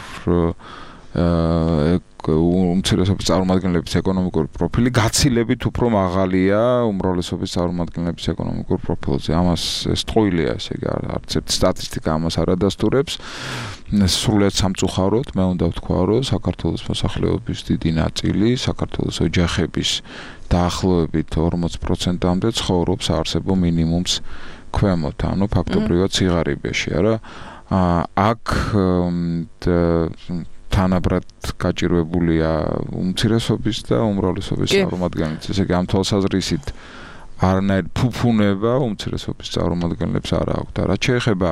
უმცირესობის წარმომადგენლების ეკონომიკური პროფილი გაცილებით უფრო მაღალია უმრავლესობის წარმომადგენლების ეკონომიკურ პროფილზე. ამას ეს ტყუილია, ესე იგი, არც ერთი სტატისტიკა ამას არ ადასტურებს. სრულად სამწუხაროდ, მე უნდა ვთქვა, რომ საქართველოს მოსახლეობის დიდი ნაწილი, საქართველოს ოჯახების დაახლოებით ორმოც პროცენტამდე ცხოვრობს საარსებო მინიმუმს ქვემოთ, ანუ ფაქტობრივად სიღარიბეში, არა? აქ თანაბრად გაჭირვებულია უმცირესობის და უმრავლესობის წარმომადგენლებს. ესე იგი, ამ თვალსაზრისით არანაირ ფუფუნება უმცირესობის წარმომადგენლებს არ აქვს და რაც შეეხება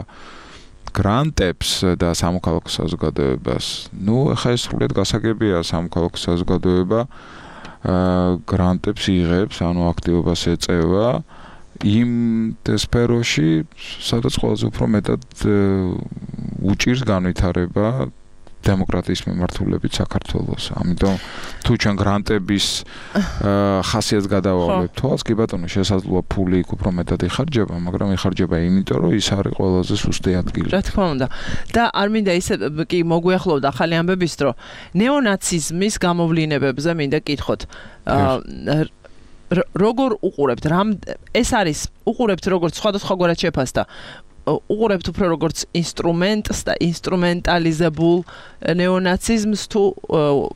გრანტებს და სამოქალაქო საზოგადოებას, ნუ ახლა ეს სრულად გასაგებია, სამოქალაქო საზოგადოება გრანტებს იღებს, ანუ აქტივობას ეწევა იმ სფეროში, სადაც ყველაზე უფრო მეტად უჭირს განვითარება დემოკრატიის მიმართულებით საქართველოს. ამიტომ თუ ჩვენ გრანტების ხასიათს გადავავლებ თვალს, კი ბატონო, შესაძლოა ფული იქ უფრო მეტად იხარჯება, მაგრამ იხარჯება იმიტომ, რომ ის არის ყველაზე სუსტი ადგილი. რა თქმა უნდა. და არ მინდა ისე კი მოგვიახლოვდა ახალი ამბების დრო. ნეონაციზმის გამოვლინებებზე მინდა კითხოთ. როგორ უყურებთ? რამ ეს არის უყურებთ როგორც სხვადასხვაგვარად შეფასდა უყურებთ უფრო როგორც ინსტრუმენტს და ინსტრუმენტალიზებულ ნეონაციზმს თუ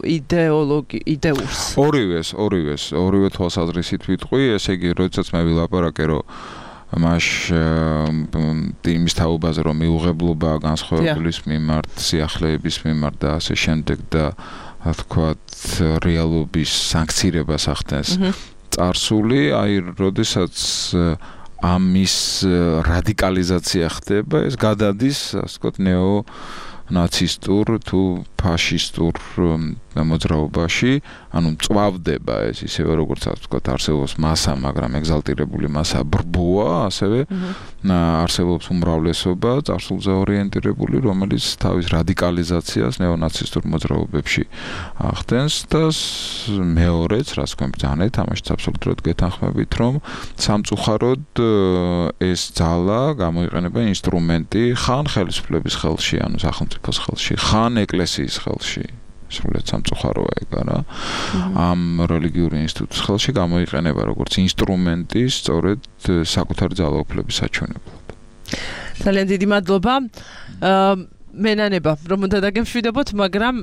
იდეოლოგი იდეურს. ორივეს, ორივეს, ორივე თვალსაზრისით ვიტყვი, ესე იგი, როდესაც მე ვილაპარაკე, რომ მას იმის თაობაზე რომ მიუღებლობა განსხვავებულის მიმართ, სიახლეების მიმართ და ასე შემდეგ და რა თქვათ რეალობის სანქცირებას ახდენს. წარსული, აი, როდესაც ამის რადიკალიზაცია ხდება, ეს გადადის, ასე ვთქვათ, ნეო-ნაცისტურ თუ ფაშისტურ მოძრაობაში, ანუ წვავდება ეს ისევე როგორც ასე ვთქვათ, არსებობს მასა, მაგრამ ეგზალტირებული მასა ბრბოა, ასევე არსებობს უმრავლესობა, წარსულზე ორიენტირებული, რომელიც თავის რადიკალიზაციას ნეონაცისტურ მოძრაობებში ახდენს და მეორეც, რაც თქვენ ბრძანეთ, ამაშიც აბსოლუტურად გეთანხმებით, რომ სამწუხაროდ ეს ძალა გამოიყენება ინსტრუმენტი ხან ხელისუფლების ხელში, ანუ სახელმწიფოს ხელში, ხან ეკლესიის ხელში. სრულიად სამწუხაროა ეგ არა. ამ რელიგიური ინსტიტუტის ხელში გამოიყენება როგორც ინსტრუმენტი სწორედ საკუთარი ძალაუფლების საჩვენებლად. ძალიან დიდი მადლობა. მენანება, რომ უნდა დაგემშვიდობოთ, მაგრამ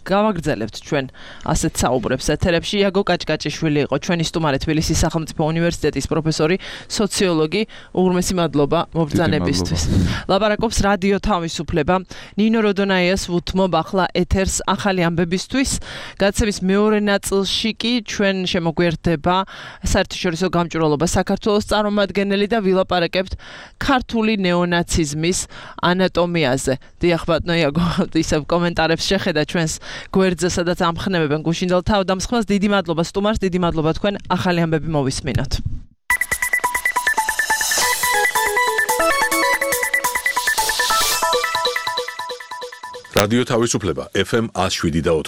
გავაგრძელებთ ჩვენ ასეთ საუბრებს ეთერებში. იაგო კაჭკაჭიშვილი იყო ჩვენი სტუმარი, თბილისის სახელმწიფო უნივერსიტეტის პროფესორი, სოციოლოგი. უღრმესი მადლობა მობრძანებისთვის. ლაპარაკობს რადიო თავისუფლება. ნინო როდონაიას ვუთმობ ახლა ეთერს ახალი ამბებისთვის. გადაცემის მეორე ნაწილში კი ჩვენ შემოგვიერთდება საერთაშორისო გამჭვირვალობა საქართველოს წარმომადგენელი და ვილაპარაკებთ ქართული ნეონაციზმის ანატომიაზე. ახბატნო იაგო ისევ კომენტარებს შეხედა ჩვენს გვერდზე, სადაც ამხნევებენ გუშინდელ თავდამსხმელს. დიდი მადლობა სტუმარს, დიდი მადლობა თქვენ. ახალი ამბები მოვისმინოთ. რადიო თავისუფლება ეფ ემ one oh seven და four.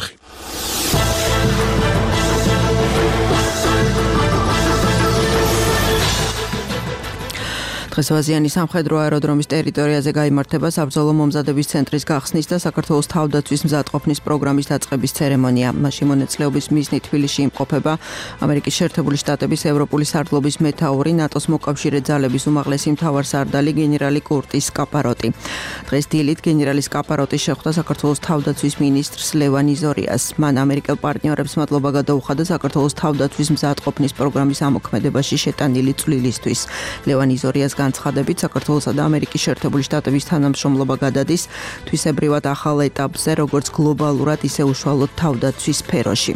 დღესვაზიანი სამხედრო აეროდრომის ტერიტორიაზე გაიმართება საბრძოლო მომზადების ცენტრის გახსნის და საქართველოს თავდაცვის მზადყოფნის პროგრამის დაწყების ცერემონია. მასში მონაწილეობის მიზნით თბილისში იმყოფება ამერიკის შეერთებული შტატების ევროპული სარდლობის მეთაური, ნატოს მოკავშირე ძალების უმაღლესი მთავარსარდალი გენერალი კურტის კაპაროტი. დღეს დილით გენერალი კაპაროტი შეხვდა საქართველოს თავდაცვის მინისტრს ლევან იზორიას. მან ამერიკელ პარტნიორებს მადლობა გადაუხადა საქართველოს თავდაცვის მზადყოფნის პროგრამის ამოქმედებაში შეტანილი წვლილისთვის. ლევან იზორიას განცხადებით, საქართველოსა და ამერიკის შეერთებული შტატების თანამშრომლობა გადადის თვისებრივად ახალ ეტაპზე, როგორც გლობალურად, ისე უშუალოდ თავდაცვის სფეროში.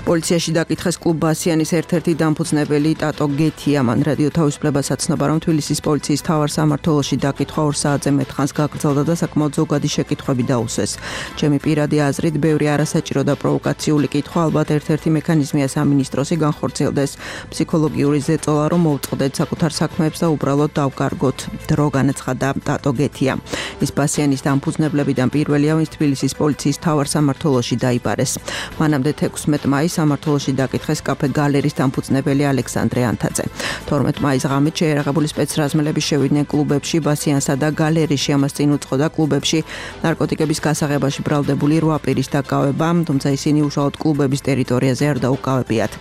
პოლიციაში დაკითხეს კლუბ ბასიანის ერთ-ერთი დამფუძნებელი ტატო გეთია. მან რადიო თავისუფლებას აცნობა, რომ თბილისის პოლიციის მთავარ სამმართველოში დაკითხვა ორ საათზე მეტ ხანს გაგრძელდა და საკმაოდ ზოგადი შეკითხვები დაუსვეს. ჩემი პირადი აზრით, ბევრი არასაჭირო და პროვოკაციული კითხვა, ალბათ ერთ-ერთი მექანიზმია სამინისტროსი განხორციელდეს ფსიქოლოგიური ზეწოლა, რომ მოვწყდეთ საკუთარ საქმეებს და უბრალოდ დავკარგოთ. დრო განაცხადა ტატო გეთია. ის ბასიანის დამფუძნებლებიდან პირველია, ვინც თბილისის პოლიციის მთავარ სამმართველოში დაიბარეს. მანამდე თექვსმეტ მაისს სამმართველოში დაკითხეს კაფე გალერის დამფუძნებელი ალექსანდრე ანთაძე. თორმეტ მაისს ღამით შეერაღებული სპეცრაზმელები შევიდნენ კლუბებში ბასიანსა და გალერიაში. ამას წინ უძღოდა კლუბებში ნარკოტიკების გასაღებაში ბრალდებული რვა პირის დაკავება, თუმცა ისინი უშუალოდ კლუბების ტერიტორიაზე არ დაუკავებიათ.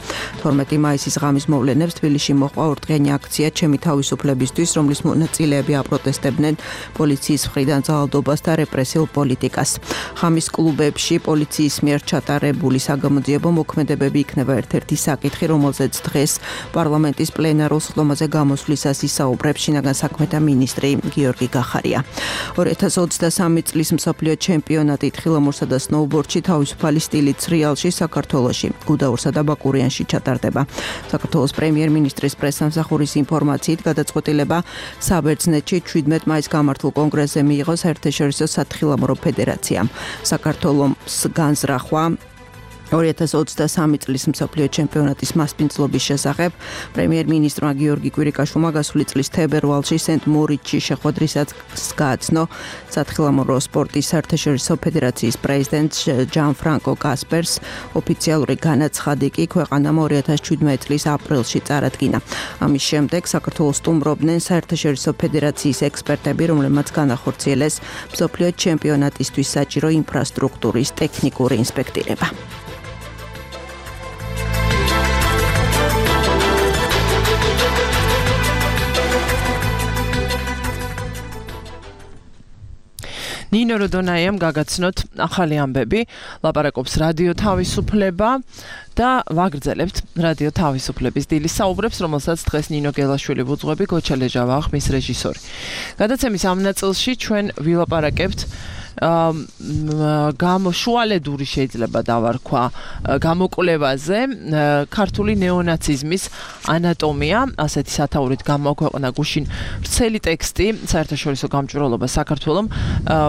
თორმეტი მაისის ღამის მოვლენებს თბილისში მოჰყვა ორდღიანი აქცია ჩემი თავისუფლებისთვის, რომლის მონაწილეები აპროტესტებდნენ პოლიციის მხრიდან ძალადობას და რეპრესიულ პოლიტიკას. ღამის კლუბებში პოლიციის მიერ ჩატარებული საგამოძიებო მოქმედებები იქნება ერთ-ერთი საკითხი, რომელზეც დღეს პარლამენტის პლენარულ სხდომაზე გამოსვლისას ისაუბრებს შინაგან საქმეთა მინისტრი გიორგი გახარია. ორი ათას ოცდასამი წლის მსოფლიო ჩემპიონატი თხილამურსა და სნოუბორდში თავისუფალი სტილით სრიალში საქართველოში, გუდაურსა და ბაკურიანში ჩატარდება. საქართველოს პრემიერ-მინისტრის პრესსამსახურის ინფორმაციით გადაწყვეტილება საბერძნეთში შვიდმეტ მაისს გამართულ კონგრესზე მიიღო საერთაშორისო სათხილამურო ფედერაციამ. საქართველოს განზრახვა ორი ათას ოცდასამი წლის მსოფლიო ჩემპიონატის მასპინძლობის შესახებ პრემიერ-მინისტრმა გიორგი კვირიკაშვილმა გასული წლის თებერვალში სენტ-მორიცში შეხვედრისას გააცნო სათხილამურო სპორტის საერთაშორისო ფედერაციის პრეზიდენტ ჯან-ფრანკო კასპერს. ოფიციალური განაცხადი კი ქვეყანამ ორი ათას შვიდმეტი წლის აპრილში წარადგინა. ამის შემდეგ საქართველოს სტუმრობდნენ საერთაშორისო ფედერაციის ექსპერტები, რომლებმაც განახორციელეს მსოფლიო ჩემპიონატისთვის საჭირო ინფრასტრუქტურის ტექნიკური ინსპექტირება. ნინო როდონაიამ გაგაცნოთ ახალი ამბები, ლაპარაკობს რადიო თავისუფლება და ვაგრძელებთ რადიო თავისუფლების დილის საუბრებს, რომელსაც დღეს ნინო გელაშვილი ვუძღვები, გოჩა ლეჟავა ხმის რეჟისორი. გადაცემის ამ ნაწილში ჩვენ ვილაპარაკებთ გამოშუალედური შეიძლება დავარქვა გამოკვლევაზე ქართული ნეონაციზმის ანატომია, ასეთი სათაურით გამოაქვეყნა გუშინ ვრცელი ტექსტი საერთაშორისო გამჭვირვალობა საქართველომ,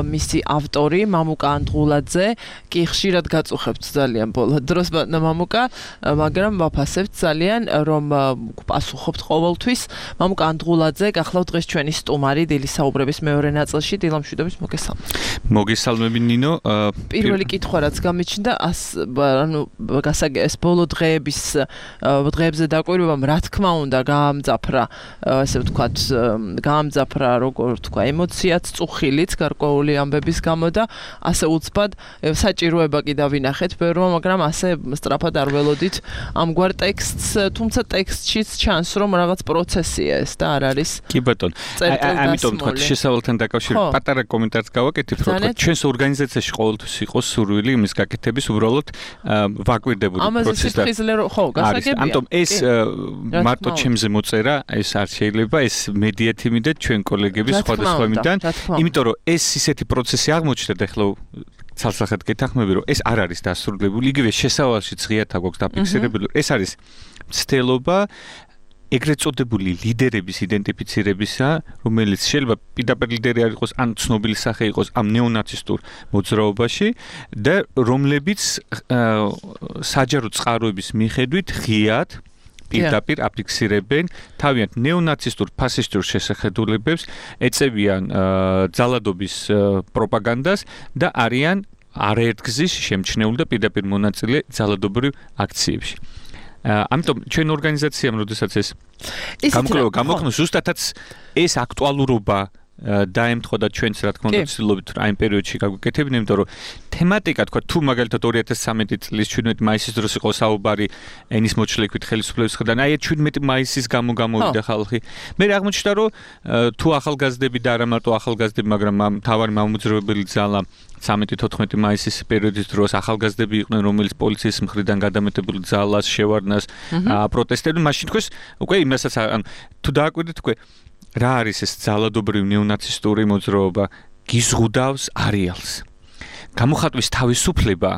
მისი ავტორი მამუკა ანდღულაძე, კი ხშირად გაწუხებთ ძალიან ბოლო დროს მამუკა, მაგრამ ვაფასებთ ძალიან, რომ პასუხობთ ყოველთვის. მამუკა ანდღულაძე გახლავთ დღეს ჩვენი სტუმარი დილის საუბრების მეორე ნაწილში, დილამშვიდობის მოგესალმებით. მოგესალმები ნინო. პირველი კითხვა რაც გამიჩნდა, ანუ გასაგეს ბოლო დღეების დღეებზე დაკვირვებამ რა თქმა უნდა გაამძაფრა, ასე ვთქვათ, გაამძაფრა როგორ თქვა, ემოციაც, წუხილიც გარკვეული ამბების გამო და ასე უცბად საჭიროება კი დავინახეთ ბევრმა, მაგრამ ასე სწრაფად არ ველოდით ამგვარ ტექსტს, თუმცა ტექსტშიც ჩანს, რომ რაღაც პროცესია ეს და არ არის. კი ბატონო. ამიტომ თქვა შესავალთან დაკავშირებით პატარა კომენტარს გავაკეთებ, რომ ჩვენს ორგანიზაციაში ყოველთვის იყო სურვილი იმის გაკეთების, უბრალოდ ვაკვირდებოდი პროცესს და ხო, გასაგებია. ამიტომ ეს მარტო ჩემზე მოწერა, ეს არ შეიძლება, ეს მედია თიმი და ჩვენ კოლეგები სხვადასხვა მიდან, იმიტომ რომ ეს ისეთი პროცესი აღმოჩნდა და ახლა ცალსახად გეთანხმები, რომ ეს არ არის დასრულებული, იგივე შესავალშიც ღიათ აქვს დაფიქსირებული. ეს არის მცდელობა ეგრეთ წოდებული ლიდერების იდენტიფიცირებისა, რომელიც შეიძლება პირდაპირ ლიდერი არ იყოს, ან ცნობილი სახე იყოს ამ ნეონაცისტურ მოძრაობაში და რომლებიც საჯარო წყაროების მიხედვით ღიად პირდაპირ აფიქსირებენ თავიანთ ნეონაცისტურ ფასისტურ შესახედულებებს, ეწევიან ძალადობის პროპაგანდას და არიან არაერთგზის შემჩნეული და პირდაპირ მონაწილე ძალადობრივ აქციებში. ამიტომ ჩვენ ორგანიზაციამ, როდესაც ეს გამოკვლევა გამოგხსნა, ზუსტადაც ეს აქტუალურობა დაემთხვა და ჩვენც რა თქმა უნდა ვცდილობთ აი ამ პერიოდში გაგვიკეთებინა, იმიტომ რომ თემატიკა თქვა თუ მაგალითად ორი ათას ცხრამეტი წლის ჩვიდმეტი მაისის დროს იყო საუბარი ენის მოჩლექვით ხელისუფლების მხრიდან, აი ჩვიდმეტი მაისის გამო გამოვიდა ხალხი. მე აღმოჩნდა რომ თუ ახალგაზრდები და არა მარტო ახალგაზრდები, მაგრამ ამ თავარი მამოძრავებელი ძალა ცამეტი თოთხმეტი მაისის პერიოდის დროს ახალგაზრდები იყვნენ, რომელიც პოლიციის მხრიდან გადამეტებული ძალას, შევარდნას პროტესტებდნენ, მაშინ თქოს უკვე იმასაც ან თუ დააკვირდით უკვე რა არის ეს ძალადობრივი ნეონაცისტური მოძრაობა, გიზღუდავს არეალს. გამოხატვის თავისუფლება,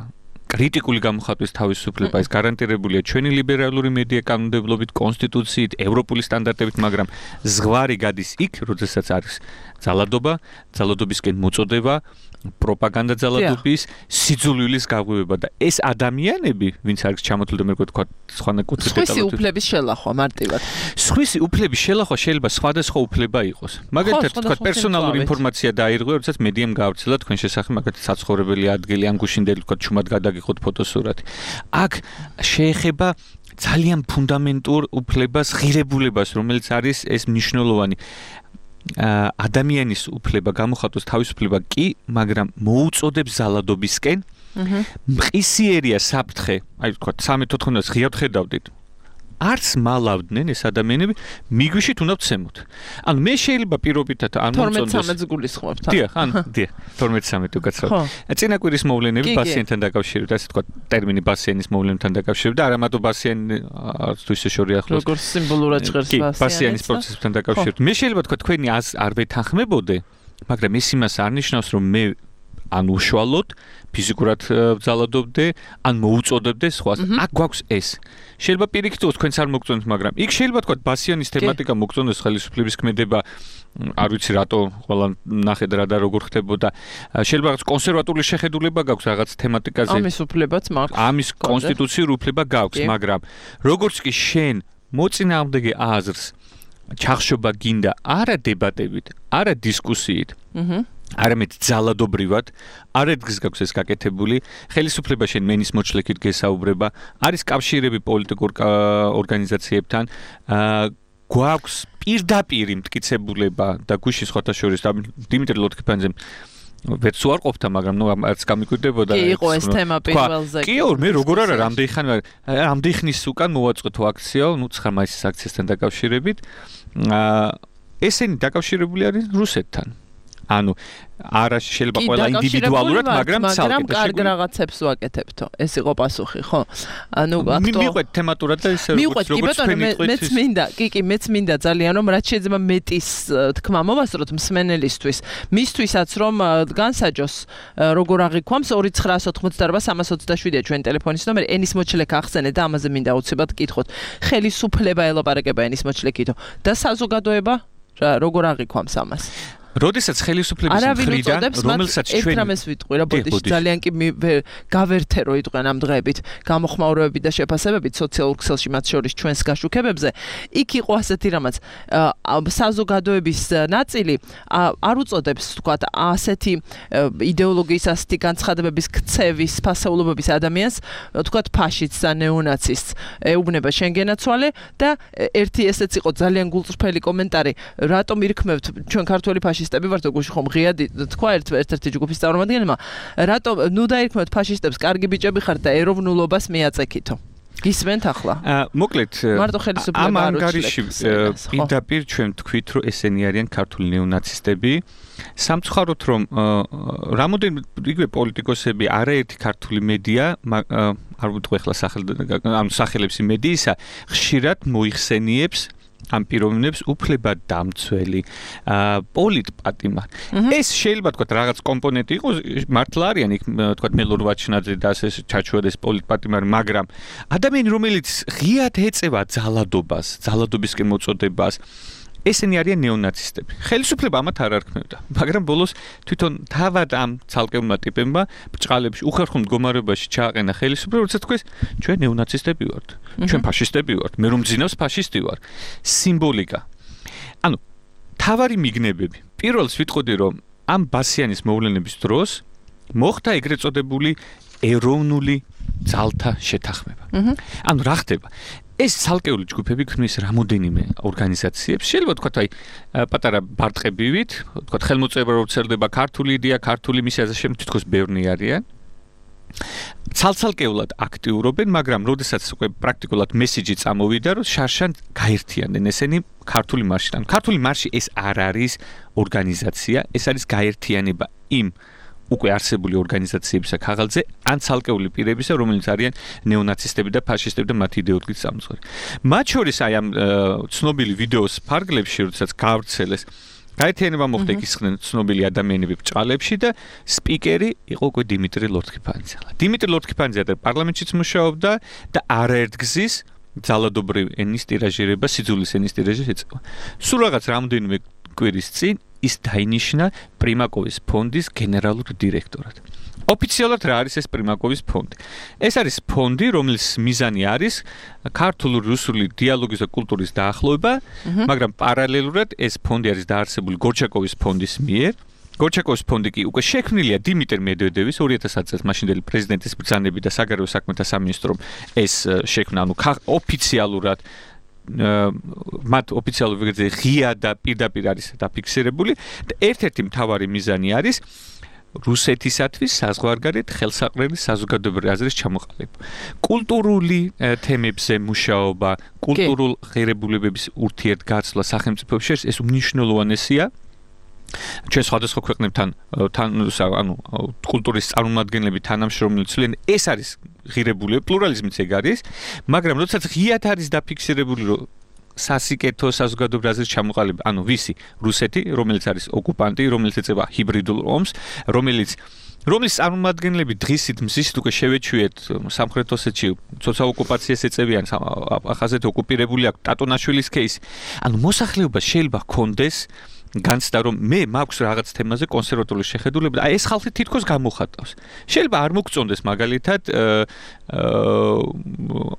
კრიტიკული გამოხატვის თავისუფლება, ეს გარანტირებულია ჩვენი ლიბერალური მედია კანონმდებლობით, კონსტიტუციით, ევროპული სტანდარტებით, მაგრამ ზღვარი გადის იქ, როდესაც არის ძალადობა, ძალადობისკენ მოწოდება, პროპაგანდა ძალადობის, სიძულვილის გაღვივება და ეს ადამიანები, ვინც არის ჩამოთვლილი და მე ვთქვა სხვანა კუთხით დეტალურად. სხვისი უფლების შელახვა მარტივად. სხვისი უფლების შელახვა შეიძლება სხვადასხვა უფლება იყოს. მაგალითად, თქვა პერსონალური ინფორმაცია დაირღვია, როდესაც მედიამ გაავრცელა თქვენ შესახებ მაგალითად საცხოვრებელი ადგილი, ან გუშინდელი თქვა ჩუმად გადაგიხოთ ფოტოსურათი. აქ შეეხება ძალიან ფუნდამენტურ უფლებას, ღირებულებას, რომელიც არის ეს მნიშვნელოვანი ადამიანის უფლება, გამოხატოს თავისუფლება კი, მაგრამ მოუწოდებს ძალადობისკენ. მყისიერია საფრთხე, აი თქვა ცამეტი თოთხმეტს ღიად ხედავდით. არც მალავდნენ ეს ადამიანები, მიგვიშით უნდა ვცემოთ. ანუ მე შეიძლება პირობითად არ მომწონდეს. თორმეტ ცამეტს გულისხმობთ. დიახ, ან დიახ, თორმეტ ცამეტი უკაცრავ. წინა კვირის მოვლენები ბასიანთან დაკავშირებით, ასე თქვა ტერმინი ბასიანის მოვლენებთან დაკავშირებით და არა მარტო ბასიანი არც თუ ისე შორი ახლოს. როგორც სიმბოლურად ჟღერს ბასიანის. ბასიანის პროცესთან დაკავშირებით. მე შეიძლება თქვა თქვენი არ ვეთანხმებოდე, მაგრამ ეს იმას არ ნიშნავს, რომ მე ან უშუალოდ ფიზიკურად ძალადობდე, ან მოუწოდებდე სხვას. აქ გვაქვს ეს. შეიძლება პირიქით თქვენც არ მოგწონთ, მაგრამ იქ შეიძლება თქვა ბასიანის თემატიკა მოგწონდეს, ხელისუფლების ქმედება, არ ვიცი რატო ყველა ნახეთ რა და როგორ ხდებოდა. შეიძლება რაღაც კონსერვატული შეხედულება გაქვს რაღაც თემატიკაზე. ამის უფლებაც მაქვს. ამის კონსტიტუციური უფლება გაქვს, მაგრამ როგორც კი შენ მოწინააღმდეგე აზრს ჩახშობა გინდა არა დებატებით, არა დისკუსიით. აჰა არამედ ძალადობრივად, არადგის გაქვს ეს გაკეთებული, ხელისუფლება შენ მენის მოჩლექით გესაუბრება, არის კავშირები პოლიტიკურ ორგანიზაციებთან, გვაქვს პირდაპირი მტკიცებულება და გუშინ სხვათა შორის დიმიტრი ლოთქიფანიძემ ვერც უარყოფდა, მაგრამ ნუ არც გამიკვირდებოდა. კი, იყო ეს თემა პირველზე. კი, მე როგორ არა, რამდენი ხანი რამდენი ხნის უკან მოვაწყოთ აქცია, ნუ ცხრა მაისის აქციასთან დაკავშირებით. ესენი დაკავშირებული არის რუსეთთან. ანუ არა შეიძლება ყველა ინდივიდუალურად, მაგრამ ცალკე. მაგრამ კარგ რაღაცებს ვაკეთებთო. ეს იყო პასუხი, ხო? ანუ აქტო მიყვეთ თემატურად და ისე როგორც როგორც თქვენ მიყვეთ. მეც მინდა, კი კი, მეც მინდა ძალიან რომ რაც შეიძლება მეტის თქმა მოვასწროთ მსმენელისთვის. მისთვისაც რომ განსაჯოს როგორ აღიქვამს ორი ცხრაას ოთხმოცდაარბა სამას ოცდაშვიდია ჩვენ ტელეფონის ნომერი. ენის მოჩლეკა ახსენე და ამაზე მინდა უცებად გკითხოთ. ხელისუფლება ელაპარაკება ენის მოჩლეკითო და საზოგადოება როგორ აღიქვამს ამას? როდესაც ხელისუფლების მხრიდან რომელსაც ჩვენ ერთამეს ვიტყვი რა ბოდიში ძალიან კი გავერთე რო იტყვიან ამ დღეებით გამოხმაურებები და შეფასებებით სოციალურ ქსელში მათ შორის ჩვენს გაშუქებებზე იქ იყო ასეთი რამაც საზოგადოების ნაწილი არ უწოდებს თქვათ ასეთი იდეოლოგიის ასეთი განცხადებების ქცევის ფასეულობების ადამიანს თქვათ ფაშისტს და ნეონაცისტს ეუბნება შენგენაცვალე და ერთი ესეც იყო ძალიან გულწრფელი კომენტარი რატომ ირქმევთ ჩვენ ქართველი ფაშისტები ვართ გუში ხომ ღიადი თქვა ერთ ერთ-ერთი ჯგუფის წარმომადგენელმა რატომ ნუ დაირქმევთ ფაშისტებს კარგი ბიჭები ხართ და ეროვნულობას მიაწექითო გისმენთ ახლა მოკლედ მარტო ხელისუფლება ამ ანგარიში პირდაპირ ჩვენ თქვით რომ ესენი არიან ქართული ნეონაცისტები სამწუხაროდ რომ რამოდენიმე იგივე პოლიტიკოსები არაერთი ქართული მედია არ ვიტყვი ახლა ანუ სახელებს იმედიისა ხშირად მოიხსენიებს ამ პიროვნებს უფლებად დამცველი პოლიტპატიმარ. ეს შეიძლება თქვა რაღაც კომპონენტი იყოს, მართლა არიან იქ თქვა მელორ ვაჩნაძე და ასე ჩაჩვედეს პოლიტპატიმარი, მაგრამ ადამიანი რომელიც ღიად ეწევა ძალადობას, ძალადობისკენ მოწოდებას ესენი არიან ნეონაცისტები. ხელისუფლება ამათ არ არქმევდა, მაგრამ ბოლოს თვითონ თავად ამ ცალკეულმა ტიპებმა ბჭყალებში უხერხულ მდგომარეობაში ჩააყენა ხელისუფლება, როცა თქვეს ჩვენ ნეონაცისტები ვართ, ჩვენ ფაშისტები ვართ, მე რომ ძინავს ფაშისტი ვარ. სიმბოლიკა. ანუ თავარი მიგნებები. პირველს ვიტყოდი რომ ამ ბასიანის მოვლენების დროს მოხდა ეგრეთ წოდებული ეროვნული ძალთა შეთანხმება. ანუ რა ხდება? ეს ცალკეული ჯგუფები ქმნის რამოდენიმე ორგანიზაციებს. შეიძლება თქვათ აი პატარა ბარტყებივით, თქვათ ხელმოწერა რო წერდება ქართული იდეა, ქართული მისია და შემდგომ თითქოს ბევრი არიან. ცალ-ცალკეულად აქტიურობენ, მაგრამ როდესაც უკვე პრაქტიკულად მესიჯი წამოვიდა, რომ შარშან გაერთიანდნენ ესენი ქართული მარშიდან. ქართული მარში ეს არ არის ორგანიზაცია, ეს არის გაერთიანება იმ უკვე არსებული ორგანიზაციებისა ქაღალდზე ან ცალკეული პირებისა, რომელიც არიან ნეონაცისტები და ფაშისტები და მათი იდეოლოგიის წამოწყალები. მათ შორის აი ამ ცნობილი ვიდეოს ფარგლებში, როდესაც გავრცელეს, გაერთიანება მოხდა იქ ისხდნენ ცნობილი ადამიანები ბჭყალებში და სპიკერი იყო უკვე დიმიტრი ლორთქიფანიძე. დიმიტრი ლორთქიფანიძე პარლამენტშიც მუშაობდა და არაერთგზის ძალადობრივ ენის ტირაჟირება, სიძულის ენის ტირაჟირება ეწევა. სულ რაღაც რამდენიმე კვირის წინ ის დაინიშნა პრიმაკოვის ფონდის გენერალურ დირექტორად. ოფიციალურად რა არის ეს პრიმაკოვის ფონდი? ეს არის ფონდი, რომლის მიზანი არის ქართული რუსული დიალოგის და კულტურის დაახლოება, მაგრამ პარალელურად ეს ფონდი არის დაარსებული გორჩაკოვის ფონდის მიერ. გორჩაკოვის ფონდი კი უკვე შექმნილია დიმიტრი მედვედევის ორი ათას წელს მაშინდელი პრეზიდენტის ბრძანებით და საგარეო საქმეთა სამინისტრომ ეს შექმნა, ანუ ოფიციალურად მათ ოფიციალურ ვეგეზე ღია და პირდაპირ არის დაფიქსირებული და ერთ-ერთი მთავარი მიზანი არის რუსეთისათვის საზღვარგარეთ ხელსაყრელი საზოგადოებრივი აზრის ჩამოყალიბება. კულტურული თემებზე მუშაობა, კულტურულ ღირებულებების ურთიერთგაცვლა სახელმწიფოებს შორის ეს უმნიშვნელოვანესია. ჩვენ სხვადასხვა ქვეყნებთან თან ანუ კულტურის წარმომადგენლები თანამშრომლობენ, ეს არის ღირებულება, პლურალიზმიც ეგ არის, მაგრამ როდესაც ღიად არის დაფიქსირებული, რომ სასიკეთო საზოგადოებრივი აზრის ჩამოყალიბება, ანუ ვისი? რუსეთი, რომელიც არის ოკუპანტი, რომელიც ეწევა ჰიბრიდულ ომს, რომელიც რომლის წარმომადგენლები დღისით მზისით უკვე შევეჩვიეთ სამხრეთ ოსეთში ცოცა ოკუპაციას ეწევიან, ახაზეთ ოკუპირებული აქვს ტატონაშვილის кейსი. ანუ მოსახლეობა შეიძლება ჰქონდეს განცდა რომ მე მაქვს რაღაც თემაზე კონსერვატორული შეხედულება და აი ეს ხალხი თითქოს გამოხატავს. შეიძლება არ მოგწონდეს მაგალითად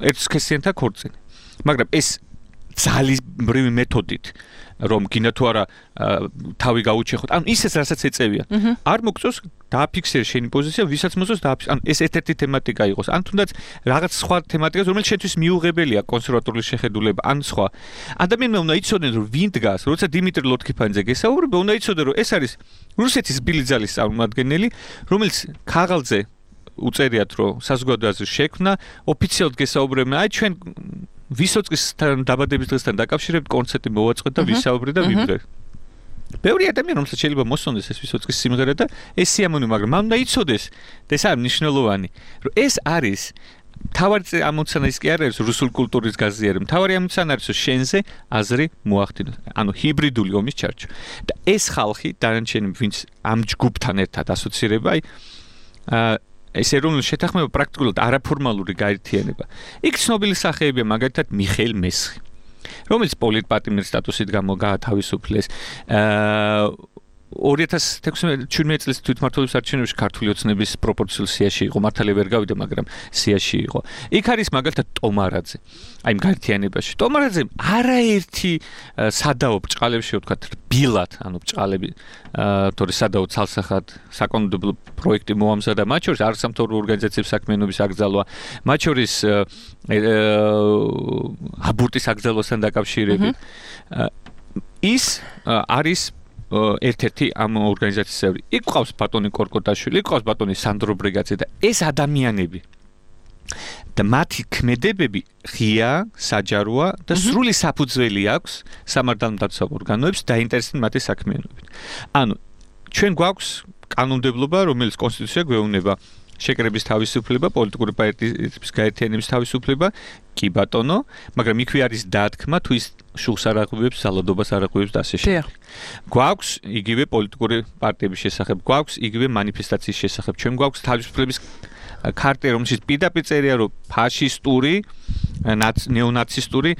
ერთსქესიანთა ქორწინი. მაგრამ ეს ძალისმრივი მეთოდით რომ გინდა თუ არა თავი გაუჩეხოთ. ანუ ისეც რასაც ეწევიან. არ მოგწონს დააფიქსირე შენი პოზიცია, ვისაც მოწონს დააფიქსირე. ანუ ეს ერთ-ერთი თემატიკა იყოს. ან თუნდაც რაღაც სხვა თემატიკას, რომელიც შენთვის მიუღებელია კონსერვატორული შეხედულება, ან სხვა. ადამიანმა უნდა იცოდნენ რომ ვინ დგას, როცა დიმიტრი ლორთქიფანიძე გესაუბრება, უნდა იცოდნენ რომ ეს არის რუსეთის ბილი ძალის წარმომადგენელი, რომელიც ქაღალდზე უწერიათ რომ საზოგადოების აზრის შექმნა, ოფიციალურად გესაუბრებენ, აი ჩვენ ვისოწყის დაბადების დღესთან დაკავშირებით კონცერტი მოვაწყეთ და ვისაუბრეთ და ვიბრძვით. ბევრი ადამიანი რომელსაც შეიძლება მოსწონდეს ეს ვისოცკის სიმღერა და ეს სიამოვნებაა, მაგრამ მან უნდა იცოდეს და ეს არის მნიშვნელოვანი, რომ ეს არის თავარი ამოცანა ის კი არ არის რუსულ კულტურის გაზიარება. თავარი ამოცანა არის რომ შენზე აზრი მოახდინოს. ანუ ჰიბრიდული ომის ჩარჩო. და ეს ხალხი დანარჩენი ვინც ამ ჯგუფთან ერთად ასოცირება, აი აა ეს ეროვნული შეთანხმება პრაქტიკულად არაფორმალური გაერთიანება. იქ ცნობილი სახეებია მაგალითად მიხეილ მესხი, რომელიც პოლიტპატიმრის სტატუსით გამოგაათავისუფლეს. აა ორი ათას თექვსმეტ წლის თვითმმართველობის არჩევნებში ქართული ოცნების პროპორციულ სიაში იყო, მართალია ვერ გავიდა, მაგრამ სიაში იყო. იქ არის მაგალითად ტომარაძე. აი იმ გაერთიანებაში. ტომარაძე არაერთი სადაო ბჭყალებში ვთქვათ, რბილად, ანუ ბჭყალები, თორე სადაო ცალსახად საკანონმდებლო პროექტი მოამზადა, მათ შორის არასამთავრობო ორგანიზაციების საქმიანობის აკრძალვა, მათ შორის აბორტის აკრძალვასთან დაკავშირებით. ის არის ერთ-ერთი ამ ორგანიზაციის წევრი. იქ ყავს ბატონი კორკოტაშვილი, იქ ყავს ბატონი სანდრო ბრეგაძე და ეს ადამიანები და მათი ქმედებები ღია, საჯაროა და სრული საფუძველი აქვს სამართალმდაცვა ორგანოებს დაინტერესდნენ მათი საქმიანობით. ანუ ჩვენ გვაქვს კანონმდებლობა, რომელიც კონსტიტუცია გვეუბნება შეკრების თავისუფლება, პოლიტიკური პარტიების გაერთიანების თავისუფლება, კი ბატონო, მაგრამ იქვე არის დათქმა თუ ის შუხს არ აღვივებს, ზალადობას არ აღვივებს და ასე შემდეგ. გვაქვს იგივე პოლიტიკური პარტიების შესახებ, გვაქვს იგივე მანიფესტაციის შესახებ, ჩვენ გვაქვს თავისუფლების ქარტი, რომელშიც პირდაპირ წერია, რომ ფაშისტური, ნეონაცისტური,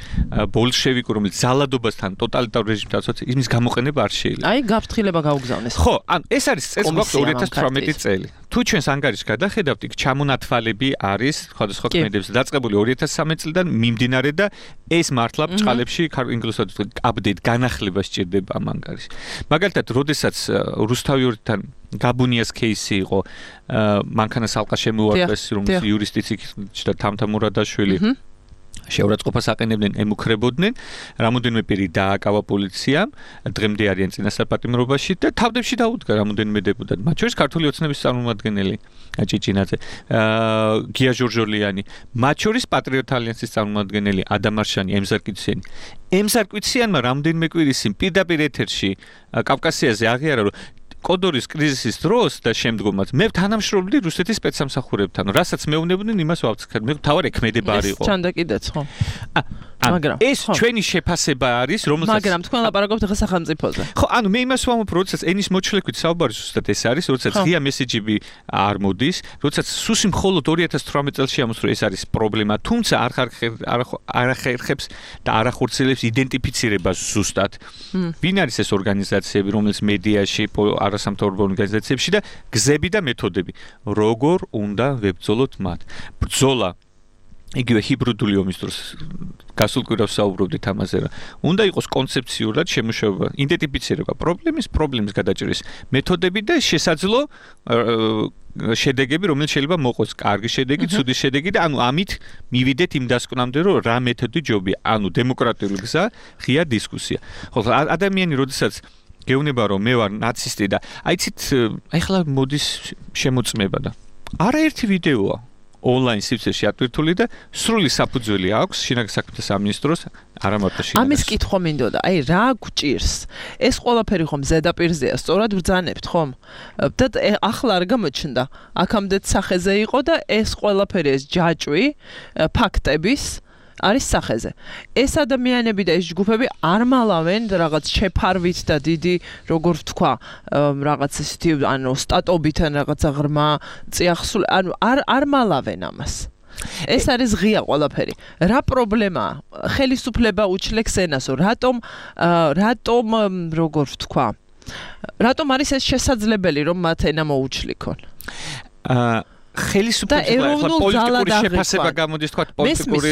ბოლშევიკური, რომელიც ზალადობასთან ტოტალიტარ რეჟიმთან ასოცირდება, იმის გამოყენება არ შეიძლება. აი, გაფრთხილება გაუგზავნეს. ხო, ანუ ეს არის წელს გვაქვს ორი ათას თვრამეტი წელი. თუ ჩვენს ანგარიშს გადახედავთ, იქ ჩამონათვალები არის სხვადასხვა ქმედებზე დაწყებული ორი ათას სამი წლიდან მიმდინარე და ეს მართლა ბჭყალებში ინგლისურად აპდეიტ განახლება სჭირდება ამ ანგარიშს. მაგალითად, როდესაც რუსთავიორთან გაბუნიას кейსი იყო, მანქანას ალყა შემოუარდეს, რომელიც იურისტიც და თამთა მურადაშვილი შეურაცხყოფას აყენებდნენ, ემუქრებოდნენ, რამოდენიმე პირი დააკავა პოლიციამ, დღემდე არიან წინასწარ-პატიმრობაში და თავდებში დაუდგა რამოდენიმე დეპუტატი, მათ შორის ქართული ოცნების წარმომადგენელი ჭიჭინაძე, გია ჟორჟოლიანი, მათ შორის პატრიოტ ალიანსის წარმომადგენელი ადამ არშანი, ემზარ კიციანი. ემზარ კიციანმა რამოდენიმე კვირის წინ პირდაპირ ეთერში კავკასიაზე აღიარა, რომ კოდორის კრიზისის დროს და შემდგომაც მე თანამშრომლობდი რუსეთის სპეცსამსახურებთან, რასაც მეუბნებოდნენ, იმას ვავწკეთ. მე თავარი ქმედება არ იყო. ეს ჩანდა კიდეც, ხო? მაგრამ ეს ჩვენი შეფასება არის, რომელსაც მაგრამ თქვენ ლაპარაკობთ ახლა სახელმწიფოზე. ხო, ანუ მე იმას ვამბობ, როდესაც ენის მოჩლექვით საუბარი ზუსტად ეს არის, როდესაც ღია მესეჯები არ მოდის, როდესაც სუსი მხოლოდ ორი ათას თვრამეტ წელს ამოსრო ეს არის პრობლემა, თუმცა არ არ ახერხებს და არ ახორციელებს იდენტიფიცირებას ზუსტად. ვინ არის ეს ორგანიზაციები, რომელიც მედიაში, არასამთავრობო ორგანიზაციებში და გზები და მეთოდები, როგორ უნდა ვებრძოლოთ მათ. ბრძოლა იგივე ჰიბრიდული ომის დროს გასულ კვირას საუბრობდით ამაზე, რა. უნდა იყოს კონცეფციურად შემუშავება, იდენტიფიცირება პრობლემის, პრობლემის გადაჭრის მეთოდები და შესაძლო შედეგები, რომელიც შეიძლება მოყოს კარგი შედეგი, ცუდი შედეგი და ანუ ამით მივიდეთ იმ დასკვნამდე, რომ რა მეთოდი ჯობია, ანუ დემოკრატიული გზა, ღია დისკუსია. ხო, ადამიანი როდესაც გეუბნება რომ მე ვარ ნაცისტი და აიცით ახლა მოდის შემოწმება და არაერთი ვიდეოა ონლაინ სივრცეში ატვირთული და სრული საფუძველი აქვს შინაგან საქმეთა სამინისტროს არა მარტო შინაგან. ამის კითხვა მინდოდა, აი რა გვჭირს? ეს ყველაფერი ხომ ზედაპირზეა, სწორად ბრძანებთ ხომ? და ახლა არ გამოჩნდა. აქამდეც სახეზე იყო და ეს ყველაფერი ეს ჯაჭვი ფაქტების არის სახეზე. ეს ადამიანები და ეს ჯგუფები არ მალავენ რაღაც შეფარვით და დიდი, როგორ ვთქვა, რაღაც ისეთი, ანუ სტატობით ან რაღაცა ღრმა წიაღსული, ანუ არ არ მალავენ ამას. ეს არის ღია ყველაფერი. რა პრობლემაა? ხელისუფლება უჩლექს ენასო. რატომ რატომ როგორ ვთქვა? რატომ არის ეს შესაძლებელი რომ მათ ენა მოუჩლიქონ? აა ხელისუფლების პოლიტიკური შეფასება გამოდის, თქვა პოლიტიკური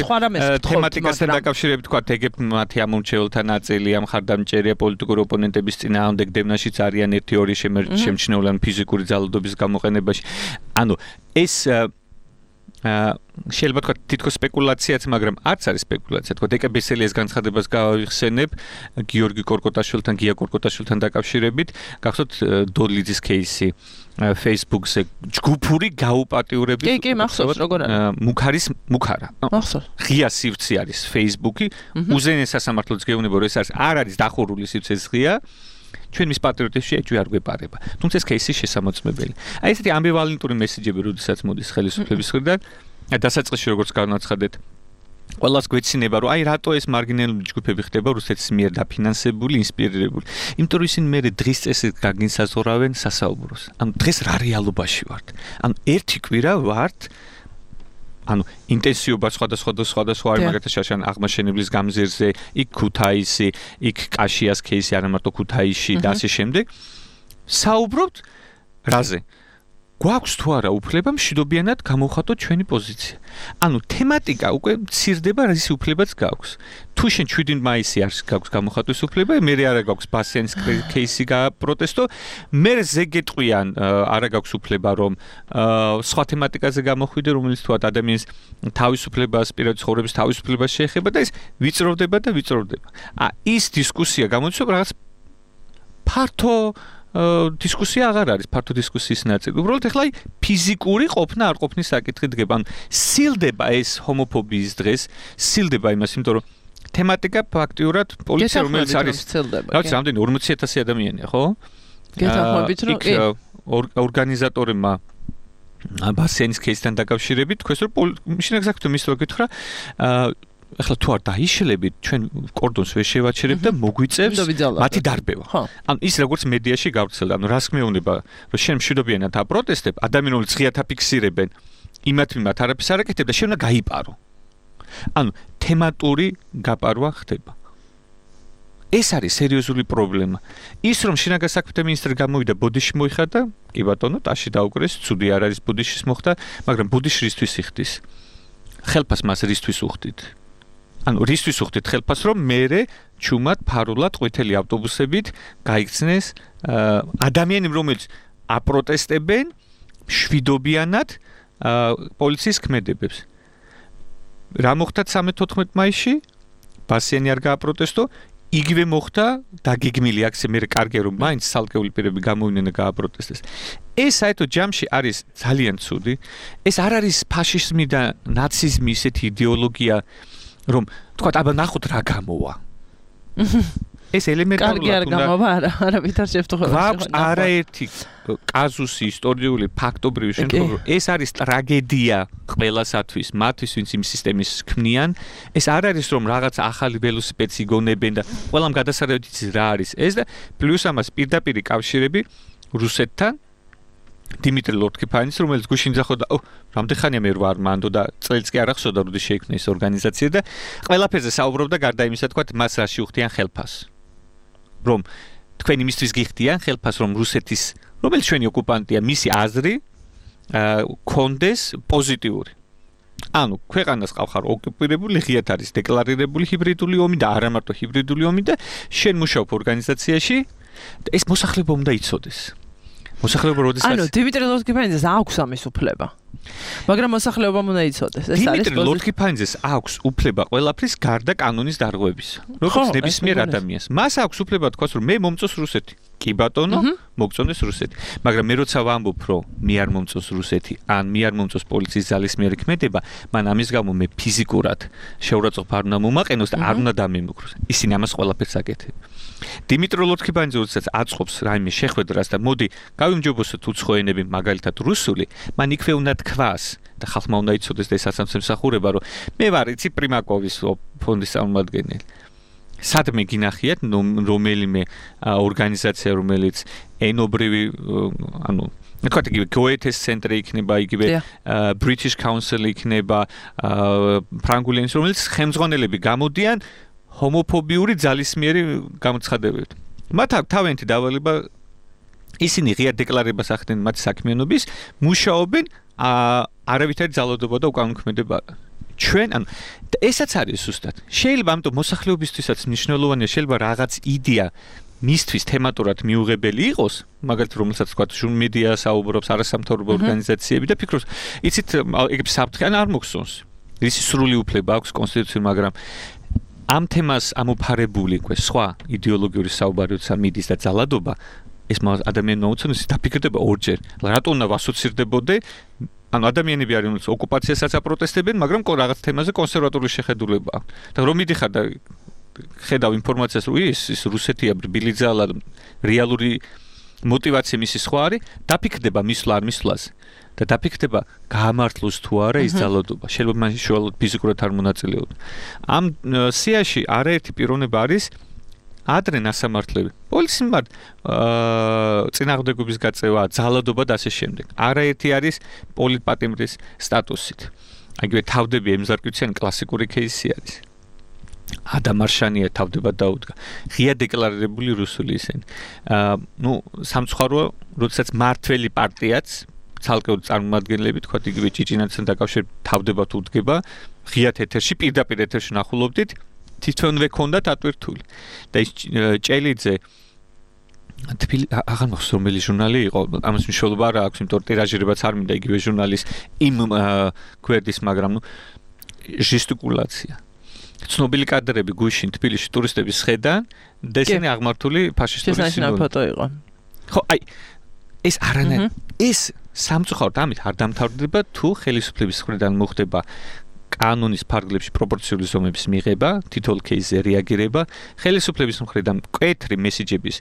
თემატიკასთან დაკავშირებით, თქვა ეგ მათი ამორჩეულთა ნაწილი ამ ხარდამჭერია პოლიტიკური ოპონენტების წინააღმდეგ დევნაშიც არიან ერთი ორი შემჩნეული ან ფიზიკური ძალადობის გამოყენებაში. ანუ ეს შეიძლება თქვა თითქოს სპეკულაციაც, მაგრამ არც არის სპეკულაცია. თქვა დეკა ბესელიას განცხადებას გავიხსენებ გიორგი კორკოტაშვილთან, გია კორკოტაშვილთან დაკავშირებით, გახსოვთ დოლიძის кейსი. Facebook-ზე ჯგუფური გაუპატიურებით. კი, კი, მახსოვს, როგორ არის? მუქარის მუქარა. მახსოვს. ღია სივრცე არის Facebook-ი. უზენაეს სასამართლოც გეუბნება, რომ ეს არის არ არის დახურული სივრცე ღია. ჩვენ მის პატრიოტებში ეჭვი არ გვეპარება. თუმცა ეს кейსი შესამოწმებელი. აი ესეთი ამბივალენტური მესიჯები, როდესაც მოდის ხელისუფლების მხრიდან, დასაწყისში როგორც განაცხადეთ, ყველას გვეცინება, რომ აი რატო ეს მარგინალური ჯგუფები ხდება რუსეთის მიერ დაფინანსებული, ინსპირირებული. იმიტომ რომ ისინი მერე დღის წესით გაგინსაზღვრავენ სასაუბროს. ანუ დღეს რა რეალობაში ვართ? ანუ ერთი კვირა ვართ ანუ ინტენსიობა სხვადასხვა სხვადასხვა არის მაგალითად შაშან აღმაშენებლის გამზირზე, იქ ქუთაისი, იქ კაშიას кейსი, არა მარტო ქუთაისში და ასე შემდეგ. საუბრობთ რაზე? გვაქვს თუ არა უფლება მშვიდობიანად გამოვხატოთ ჩვენი პოზიცია. ანუ თემატიკა უკვე მცირდება, რის უფლებაც გაქვს. თუ შენ შვიდი მაისი არის გაქვს გამოვხატვის უფლება, მე არა გაქვს ბასიანის кейსი გააპროტესტო, მე ზეგეთყვიან არა გაქვს უფლება რომ სხვა თემატიკაზე გამოხვიდე, რომელიც თუათ ადამიანის თავისუფლებას, პირადი ცხოვრების თავისუფლებას შეეხება და ეს ვიწროვდება და ვიწროვდება. ა ის დისკუსია გამოიწვევს რაღაც ფართო დისკუსია აღარ არის ფართო დისკუსიის ნაწილი. უბრალოდ ეხლა ფიზიკური ყოფნა არ ყოფნის საკითხი დგება. ანუ სილდება ეს ჰომოფობიის დღეს, სილდება იმას, იმიტომ რომ თემატიკა ფაქტიურად პოლიცია რომელიც არის რაც რამდენი ორმოცი ათასი ადამიანია, ხო? გეთანხმებით რომ კი ორგანიზატორებმა ბასენის кейსთან დაკავშირებით თქვენს რომ მაშინ ექსაქტურად მის რო გითხრა ახლა თუ არ დაიშლებით, ჩვენ კორდონს ვერ შევაჩერებთ და მოგვიწევს მათი დარბევა. ანუ ის როგორც მედიაში გავრცელდა, ანუ რას მეუბნება, რომ შენ მშვიდობიანად აპროტესტებ, ადამიანები ღიათ აფიქსირებენ, იმათ მიმართ არაფერს არ აკეთებ და შენ უნდა გაიპარო. ანუ თემატური გაპარვა ხდება. ეს არის სერიოზული პრობლემა. ის რომ შინაგან საქმეთა მინისტრი გამოვიდა ბოდიში მოიხადა, კი ბატონო, ტაში დაუკრეს, ცუდი არ არის ბოდიშის მოხდა, მაგრამ ბოდიში რისთვის იხდის? ხელფას მას რისთვის უხდით? ანუ რისთვის უხდით ხელფას, რომ მერე ჩუმად ფარულად ყვითელი ავტობუსებით გაიქცნეს ადამიანები, რომელიც აპროტესტებენ მშვიდობიანად პოლიციის ქმედებებს. რა მოხდა ცხრამეტ-თოთხმეტ მაისში? ბასიანი არ გააპროტესტო, იგივე მოხდა დაგეგმილი აქცია, მე კარგია რომ მაინც ცალკეული პირები გამოვიდნენ და გააპროტესტეს. ეს საერთოდ ჯამში არის ძალიან ცუდი. ეს არ არის ფაშიზმი და ნაციზმი ისეთი იდეოლოგია, რომ თქვა აბა ნახოთ რა გამოვა. ეს ელემენტარულად კარგი არ გამოვა, არა, არა ვითარ შევთხოვე. გვაქვს არაერთი კაზუსი ისტორიული ფაქტობრივი შემთხვევა, რომ ეს არის ტრაგედია ყველასათვის, მათთვის, ვინც იმ სისტემის ქმნიან. ეს არ არის რომ რაღაც ახალი ველოსიპედს იგონებენ და ყველამ გადასარევით იცის რა არის ეს და პლუს ამას პირდაპირი კავშირები რუსეთთან დიმიტრი ლორთქიფანის, რომელიც გუშინ ძახოდა, ო, რამდენი ხანია მე ვარ მანდო და წელს კი არ ახსოვდა, როდის შეიქმნა ეს ორგანიზაცია და ყველაფერზე საუბრობდა გარდა იმისა, თქვა მას რაში უხდიან ხელფას. რომ თქვენ იმისთვის გიხდიან ხელფას, რომ რუსეთის, რომელიც ჩვენი ოკუპანტია, მისი აზრი კონდეს პოზიტიური. ანუ ქვეყანას ყავხარ ოკუპირებული, ღიად არის დეკლარირებული ჰიბრიდული ომი და არა მარტო ჰიბრიდული ომი და შენ მუშაობ ორგანიზაციაში და ეს მოსახლეობა უნდა იცოდეს. მოსახლეობა როდესაც ანუ დიმიტრი ლორთქიფანიძეს აქვს ამის უფლება. მაგრამ მოსახლეობამ უნდა იცოდეს, ეს არის დიმიტრი ლორთქიფანიძეს აქვს უფლება ყველაფრის გარდა კანონის დარღვევის. როგორც ნებისმიერ ადამიანს. მას აქვს უფლება თქვას, რომ მე მომწონს რუსეთი. კი ბატონო, მოგწონდეს რუსეთი. მაგრამ მე როცა ვამბობ, რომ მე არ მომწონს რუსეთი, ან მე არ მომწონს პოლიციის ძალისმიერი ქმედება, მან ამის გამო მე ფიზიკურად შეურაცხყოფა არ უნდა მომაყენოს და არ უნდა დამემუქროს. ისინი ამას ყველაფერს აკეთებენ. დიმიტრი ლორთქიფანიძე როდესაც აწყობს რაიმე შეხვედრას და მოდი გავიმჯობოსოთ უცხო ენები, მაგალითად რუსული, მან იქვე უნდა თქვას და ხალხმა უნდა იცოდეს და ეს ასამსახურება, რომ მე ვარ იცი პრიმაკოვის ფონდის წარმომადგენელი. სადმე გინახიათ რომელიმე ორგანიზაცია, რომელიც ენობრივი, ანუ თქვათ იგივე გოეთეს ცენტრი იქნება, იგივე British Council იქნება, ფრანგული ენის, რომელიც ხელმძღვანელები გამოდიან ჰომოფობიური ძალისმიერი გამოცხადებებით. მათ აქვს თავიანთი დავალება, ისინი ღია დეკლარებას ახდენენ მათი საქმიანობის, მუშაობენ არავითარი ძალადობა და უკანონმდებლობა. ჩვენ, ანუ ესაც არის ზუსტად. შეიძლება ამიტომ მოსახლეობისთვისაც მნიშვნელოვანია, შეიძლება რაღაც იდეა მისთვის თემატურად მიუღებელი იყოს, მაგალითად რომელსაც თქვა ჟურნალისტია საუბრობს, არასამთავრობო ორგანიზაციები და ფიქრობს, იცით, ეგრე საფრთხე ან არ მოგსონს. ისი სრული უფლება აქვს კონსტიტუციაში, მაგრამ ამ თემას ამოფარებული უკვე სხვა იდეოლოგიური საუბარი, როცა მიდის და ძალადობა, ეს ადამიანმა უცნაური დაფიქრდება ორჯერ. რატო უნდა ვასოცირდებოდე? ანუ ადამიანები არიან, რომელიც ოკუპაციასაც აპროტესტებენ, მაგრამ რაღაც თემაზე კონსერვატული შეხედულება აქვს. და რომ მიდიხარ და ხედავ ინფორმაციას, რომ ის ის რუსეთია ბილიძალა რეალური мотивация მისი სხვა არის, დაფიქრდება მისვლა არ მისვლაზე და დაფიქრდება გაამართლოს თუ არა ის ძალადობა. შეიძლება მაშინ შუალოდ ფიზიკურად არ მონაწილეობდეს. ამ სიაში არაერთი პიროვნება არის ადრე ნასამართლები. პოლიციის მიმართ წინააღმდეგობის გაწევა, ძალადობა და ასე შემდეგ. არაერთი არის პოლიტპატიმრის სტატუსით. აიგივე თავდები ემზარკვიციანი კლასიკური кейსი არის. ადამ არშანია თავდება დაუდგა. ღია დეკლარირებული რუსული ისინი. აა ნუ სამწუხაროა, როდესაც მართველი პარტიაც ცალკეული წარმომადგენლები თქვა იგივე ჭიჭინაძესთან დაკავშირებით თავდება თუ უდგება, ღიათ ეთერში პირდაპირ ეთერში ნახულობდით, თვითონვე ქონდათ ატვირთული. და ის ჭელიძე თბილი აღარ მახსოვს რომელი ჟურნალი იყო, ამას მნიშვნელობა არ აქვს, იმიტომ რომ ტირაჟირებაც არ მინდა იგივე ჟურნალის იმ გვერდის, მაგრამ ნუ ჟესტიკულაცია. ცნობილი კადრები გუშინ თბილისში ტურისტების ხედან და ესენი აღმართული ფაშისტური სიმბოლოები. ფოტო იყო. ხო, აი ეს არანაირ ეს სამწუხაროდ ამით არ დამთავრდება თუ ხელისუფლების მხრიდან მოხდება კანონის ფარგლებში პროპორციული ზომების მიღება, თითოეულ кейსზე რეაგირება, ხელისუფლების მხრიდან მკვეთრი მესიჯების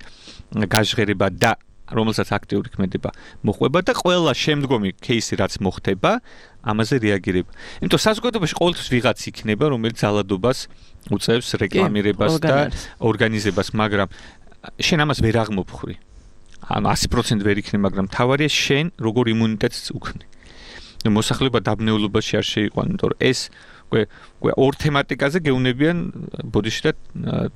გაჟღერება და რომელსაც აქტიური ქმედება მოყვება და ყველა შემდგომი кейსი რაც მოხდება, ამაზე რეაგირება. იმიტომ საზოგადოებაში ყოველთვის ვიღაც იქნება, რომელიც ძალადობას უწევს რეკლამირებას და ორგანიზებას, მაგრამ შენ ამას ვერ აღმოფხვრი. ანუ ასი პროცენტი ვერ იქნება, მაგრამ თავარია შენ როგორ იმუნიტეტს უქმნი. და მოსახლეობა დაბნეულობაში არ შეიყვანა, იმიტომ რომ ეს უკვე უკვე ორ თემატიკაზე გეუნებიან ბოდიში და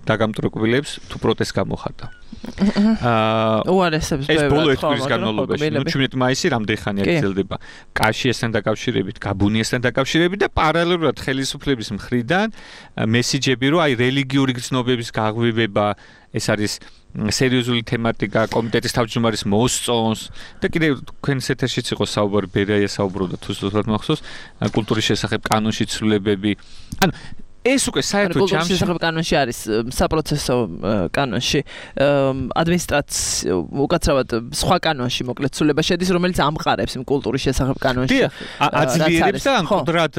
დაგამტროკვილებს თუ პროტესტ გამოხატა. აა უარესებს ეს ბოლო ერთ კვირის განმავლობაში, ნუ ჩვენეთ მაისი რამდენი ხანი აგრძელდება კაშიესთან დაკავშირებით, გაბუნიესთან დაკავშირებით და პარალელურად ხელისუფლების მხრიდან მესიჯები, რომ აი რელიგიური გრძნობების გაღვივება, ეს არის სერიოზული თემატიკა, კომიტეტის თავმჯდომარის მოსწონს და კიდევ თქვენს ეთერშიც იყო საუბარი, ბერია საუბრობდა თუ ზუსტად მახსოვს, კულტურის შესახებ კანონში ცვლილებები. ანუ ეს უკვე საერთოდ ჯამში კულტურის შესახებ კანონში არის საპროცესო კანონში, ადმინისტრაცია უკაცრავად სხვა კანონში მოკლედ ცვლილება შედის, რომელიც ამყარებს იმ კულტურის შესახებ კანონში. აძლიერებს და ამკვდრად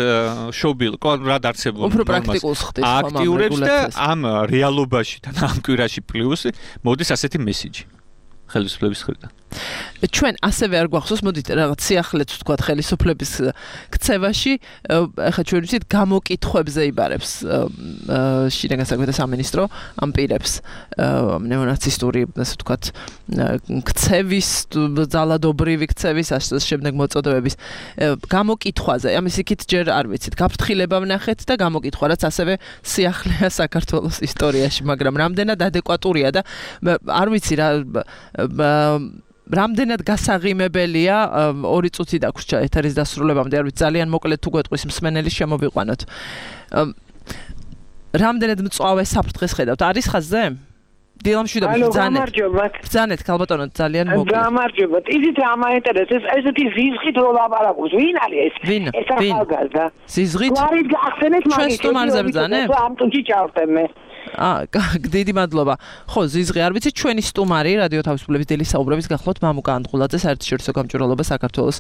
შობილ, კვადრად არსებულ უფრო პრაქტიკულს ხდის ხომ აქტიურებს და ამ რეალობაში და ამ კვირაში პლუს მოდის ასეთი მესიჯი ხელისუფლების მხრიდან. ჩვენ ასევე არ გვახსოვს, მოდით რაღაც სიახლეც ვთქვათ ხელისუფლების ქცევაში, ახლა ჩვენ ვიცით გამოკითხვებზე იბარებს შინაგან საქმეთა სამინისტრო ამ პირებს ნეონაცისტური, ასე ვთქვათ, ქცევის, ძალადობრივი ქცევის ასე შემდეგ მოწოდებების გამოკითხვაზე. ამის იქით ჯერ არ ვიცით, გაფრთხილება ვნახეთ და გამოკითხვა, რაც ასევე სიახლეა საქართველოს ისტორიაში, მაგრამ რამდენად ადეკვატურია და არ ვიცი რა რამდენად გასაღიმებელია ორი წუთი დაგვრჩა ეთერის დასრულებამდე, არ ვიცი, ძალიან მოკლედ თუ გვეტყვის მსმენელის შემოვიყვანოთ. რამდენად მწვავე საფრთხეს ხედავთ? არის ხაზზე? დილამშვიდობი ბრძანეთ. ბრძანეთ, ქალბატონო, ძალიან მოკლედ. გამარჯობათ. იზით რა მაინტერესებს, ესეთი ზიზღით რო ლაპარაკობს, ვინ არის ეს? ეს ახალგაზრდა. ზიზღით? გვარით გახსენეთ მაგით. ჩვენ სტუმარზე ბრძანებ? ამ ტუჩი ჩავხდე მე. აა, დიდი მადლობა. ხო, ზიზღი არ ვიცი, ჩვენი სტუმარი რადიო თავისუფლების დილის საუბრების გახლავთ მამუკა ანდღულაძე, საერთაშორისო გამჭვირვალობა საქართველოს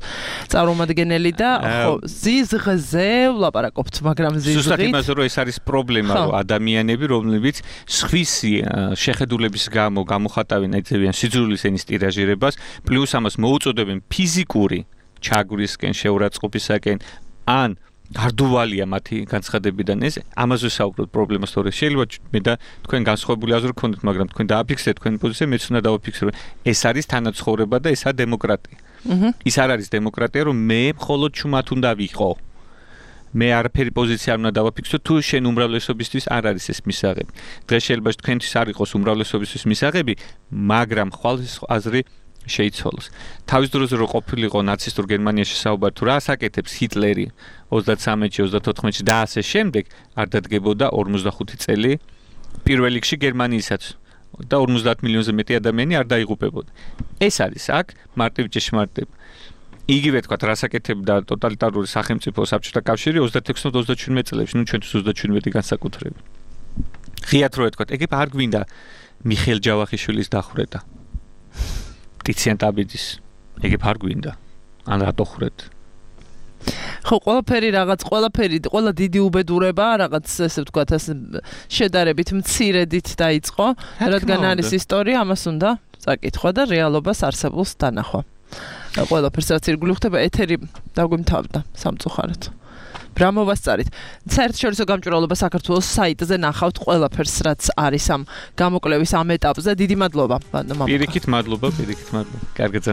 წარმომადგენელი და ხო, ზიზღზე ვლაპარაკობთ, მაგრამ ზიზღი ზუსტად იმაზე, რომ ეს არის პრობლემა, რომ ადამიანები, რომლებიც სხვისი შეხედულების გამო გამოხატავენ ეძებიან სიძულვილის ენის ტირაჟირებას, პლუს ამას მოუწოდებენ ფიზიკური ჩაგვრისკენ, შეურაცხყოფისაკენ, ან გარდუვალია მათი განცხადებიდან ეს ამაზე საუბრობთ პრობლემას თორე შეიძლება მე და თქვენ განსხვავებული აზრი გქონდეთ, მაგრამ თქვენ დააფიქსეთ თქვენი პოზიცია, მეც უნდა დავაფიქსირო. ეს არის თანაცხოვრება და ესაა დემოკრატია. ის არ არის დემოკრატია, რომ მე მხოლოდ ჩუმად უნდა ვიყო. მე არაფერი პოზიცია არ უნდა დავაფიქსო, თუ შენ უმრავლესობისთვის არ არის ეს მისაღები. დღეს შეიძლება თქვენთვის არ იყოს უმრავლესობისთვის მისაღები, მაგრამ ხვალ აზრი შეიცვალოს. თავის დროზე რო ყოფილიყო ნაცისტურ გერმანიაში საუბარი თუ რას აკეთებს ჰიტლერი ოცდათრამეტში, ოცდათოთხმეტში და ასე შემდეგ, არ დადგებოდა ორმოცდახუთი წელი პირველ რიგში გერმანიისაც და ორმოცდაათ მილიონზე მეტი ადამიანი არ დაიღუპებოდა. ეს არის აქ მარტივი ჭეშმარიტება. იგივე თქვა რას აკეთებდა ტოტალიტარული სახელმწიფო საბჭოთა კავშირი ოცდაექვსი ოცდაჩვენმეტ წლებში, ნუ ჩვენთვის ოცდაჩვენმეტი განსაკუთრებით. ღიათ რო ეთქვათ, ეგ არ გვინდა მიხეილ ჯავახიშვილის დახვრეტა. ტიციან ტაბიძის ეგ არ გვინდა. ან რატო ხრეთ? ხო, ყველაფერი რაღაც, ყველაფერი, ყველა დიდი უბედურება, რაღაც ესე ვთქვათ, ასე შედარებით მცირედით დაიწყო, რადგან არის ისტორია, ამას უნდა წაკითხვა და რეალობას არსებულს დანახვა. ყველაფერს რაც ირგვლივ ხდება, ეთერი დაგვიმთავრდა სამწუხაროდ. ბრამოვას წარით. საერთაშორისო გამჭვირვალობა საქართველოს საიტზე ნახავთ ყველაფერს, რაც არის ამ გამოკვლევის ამ ეტაპზე. დიდი მადლობა. პირიქით მადლობა, პირიქით მადლობა. კარგად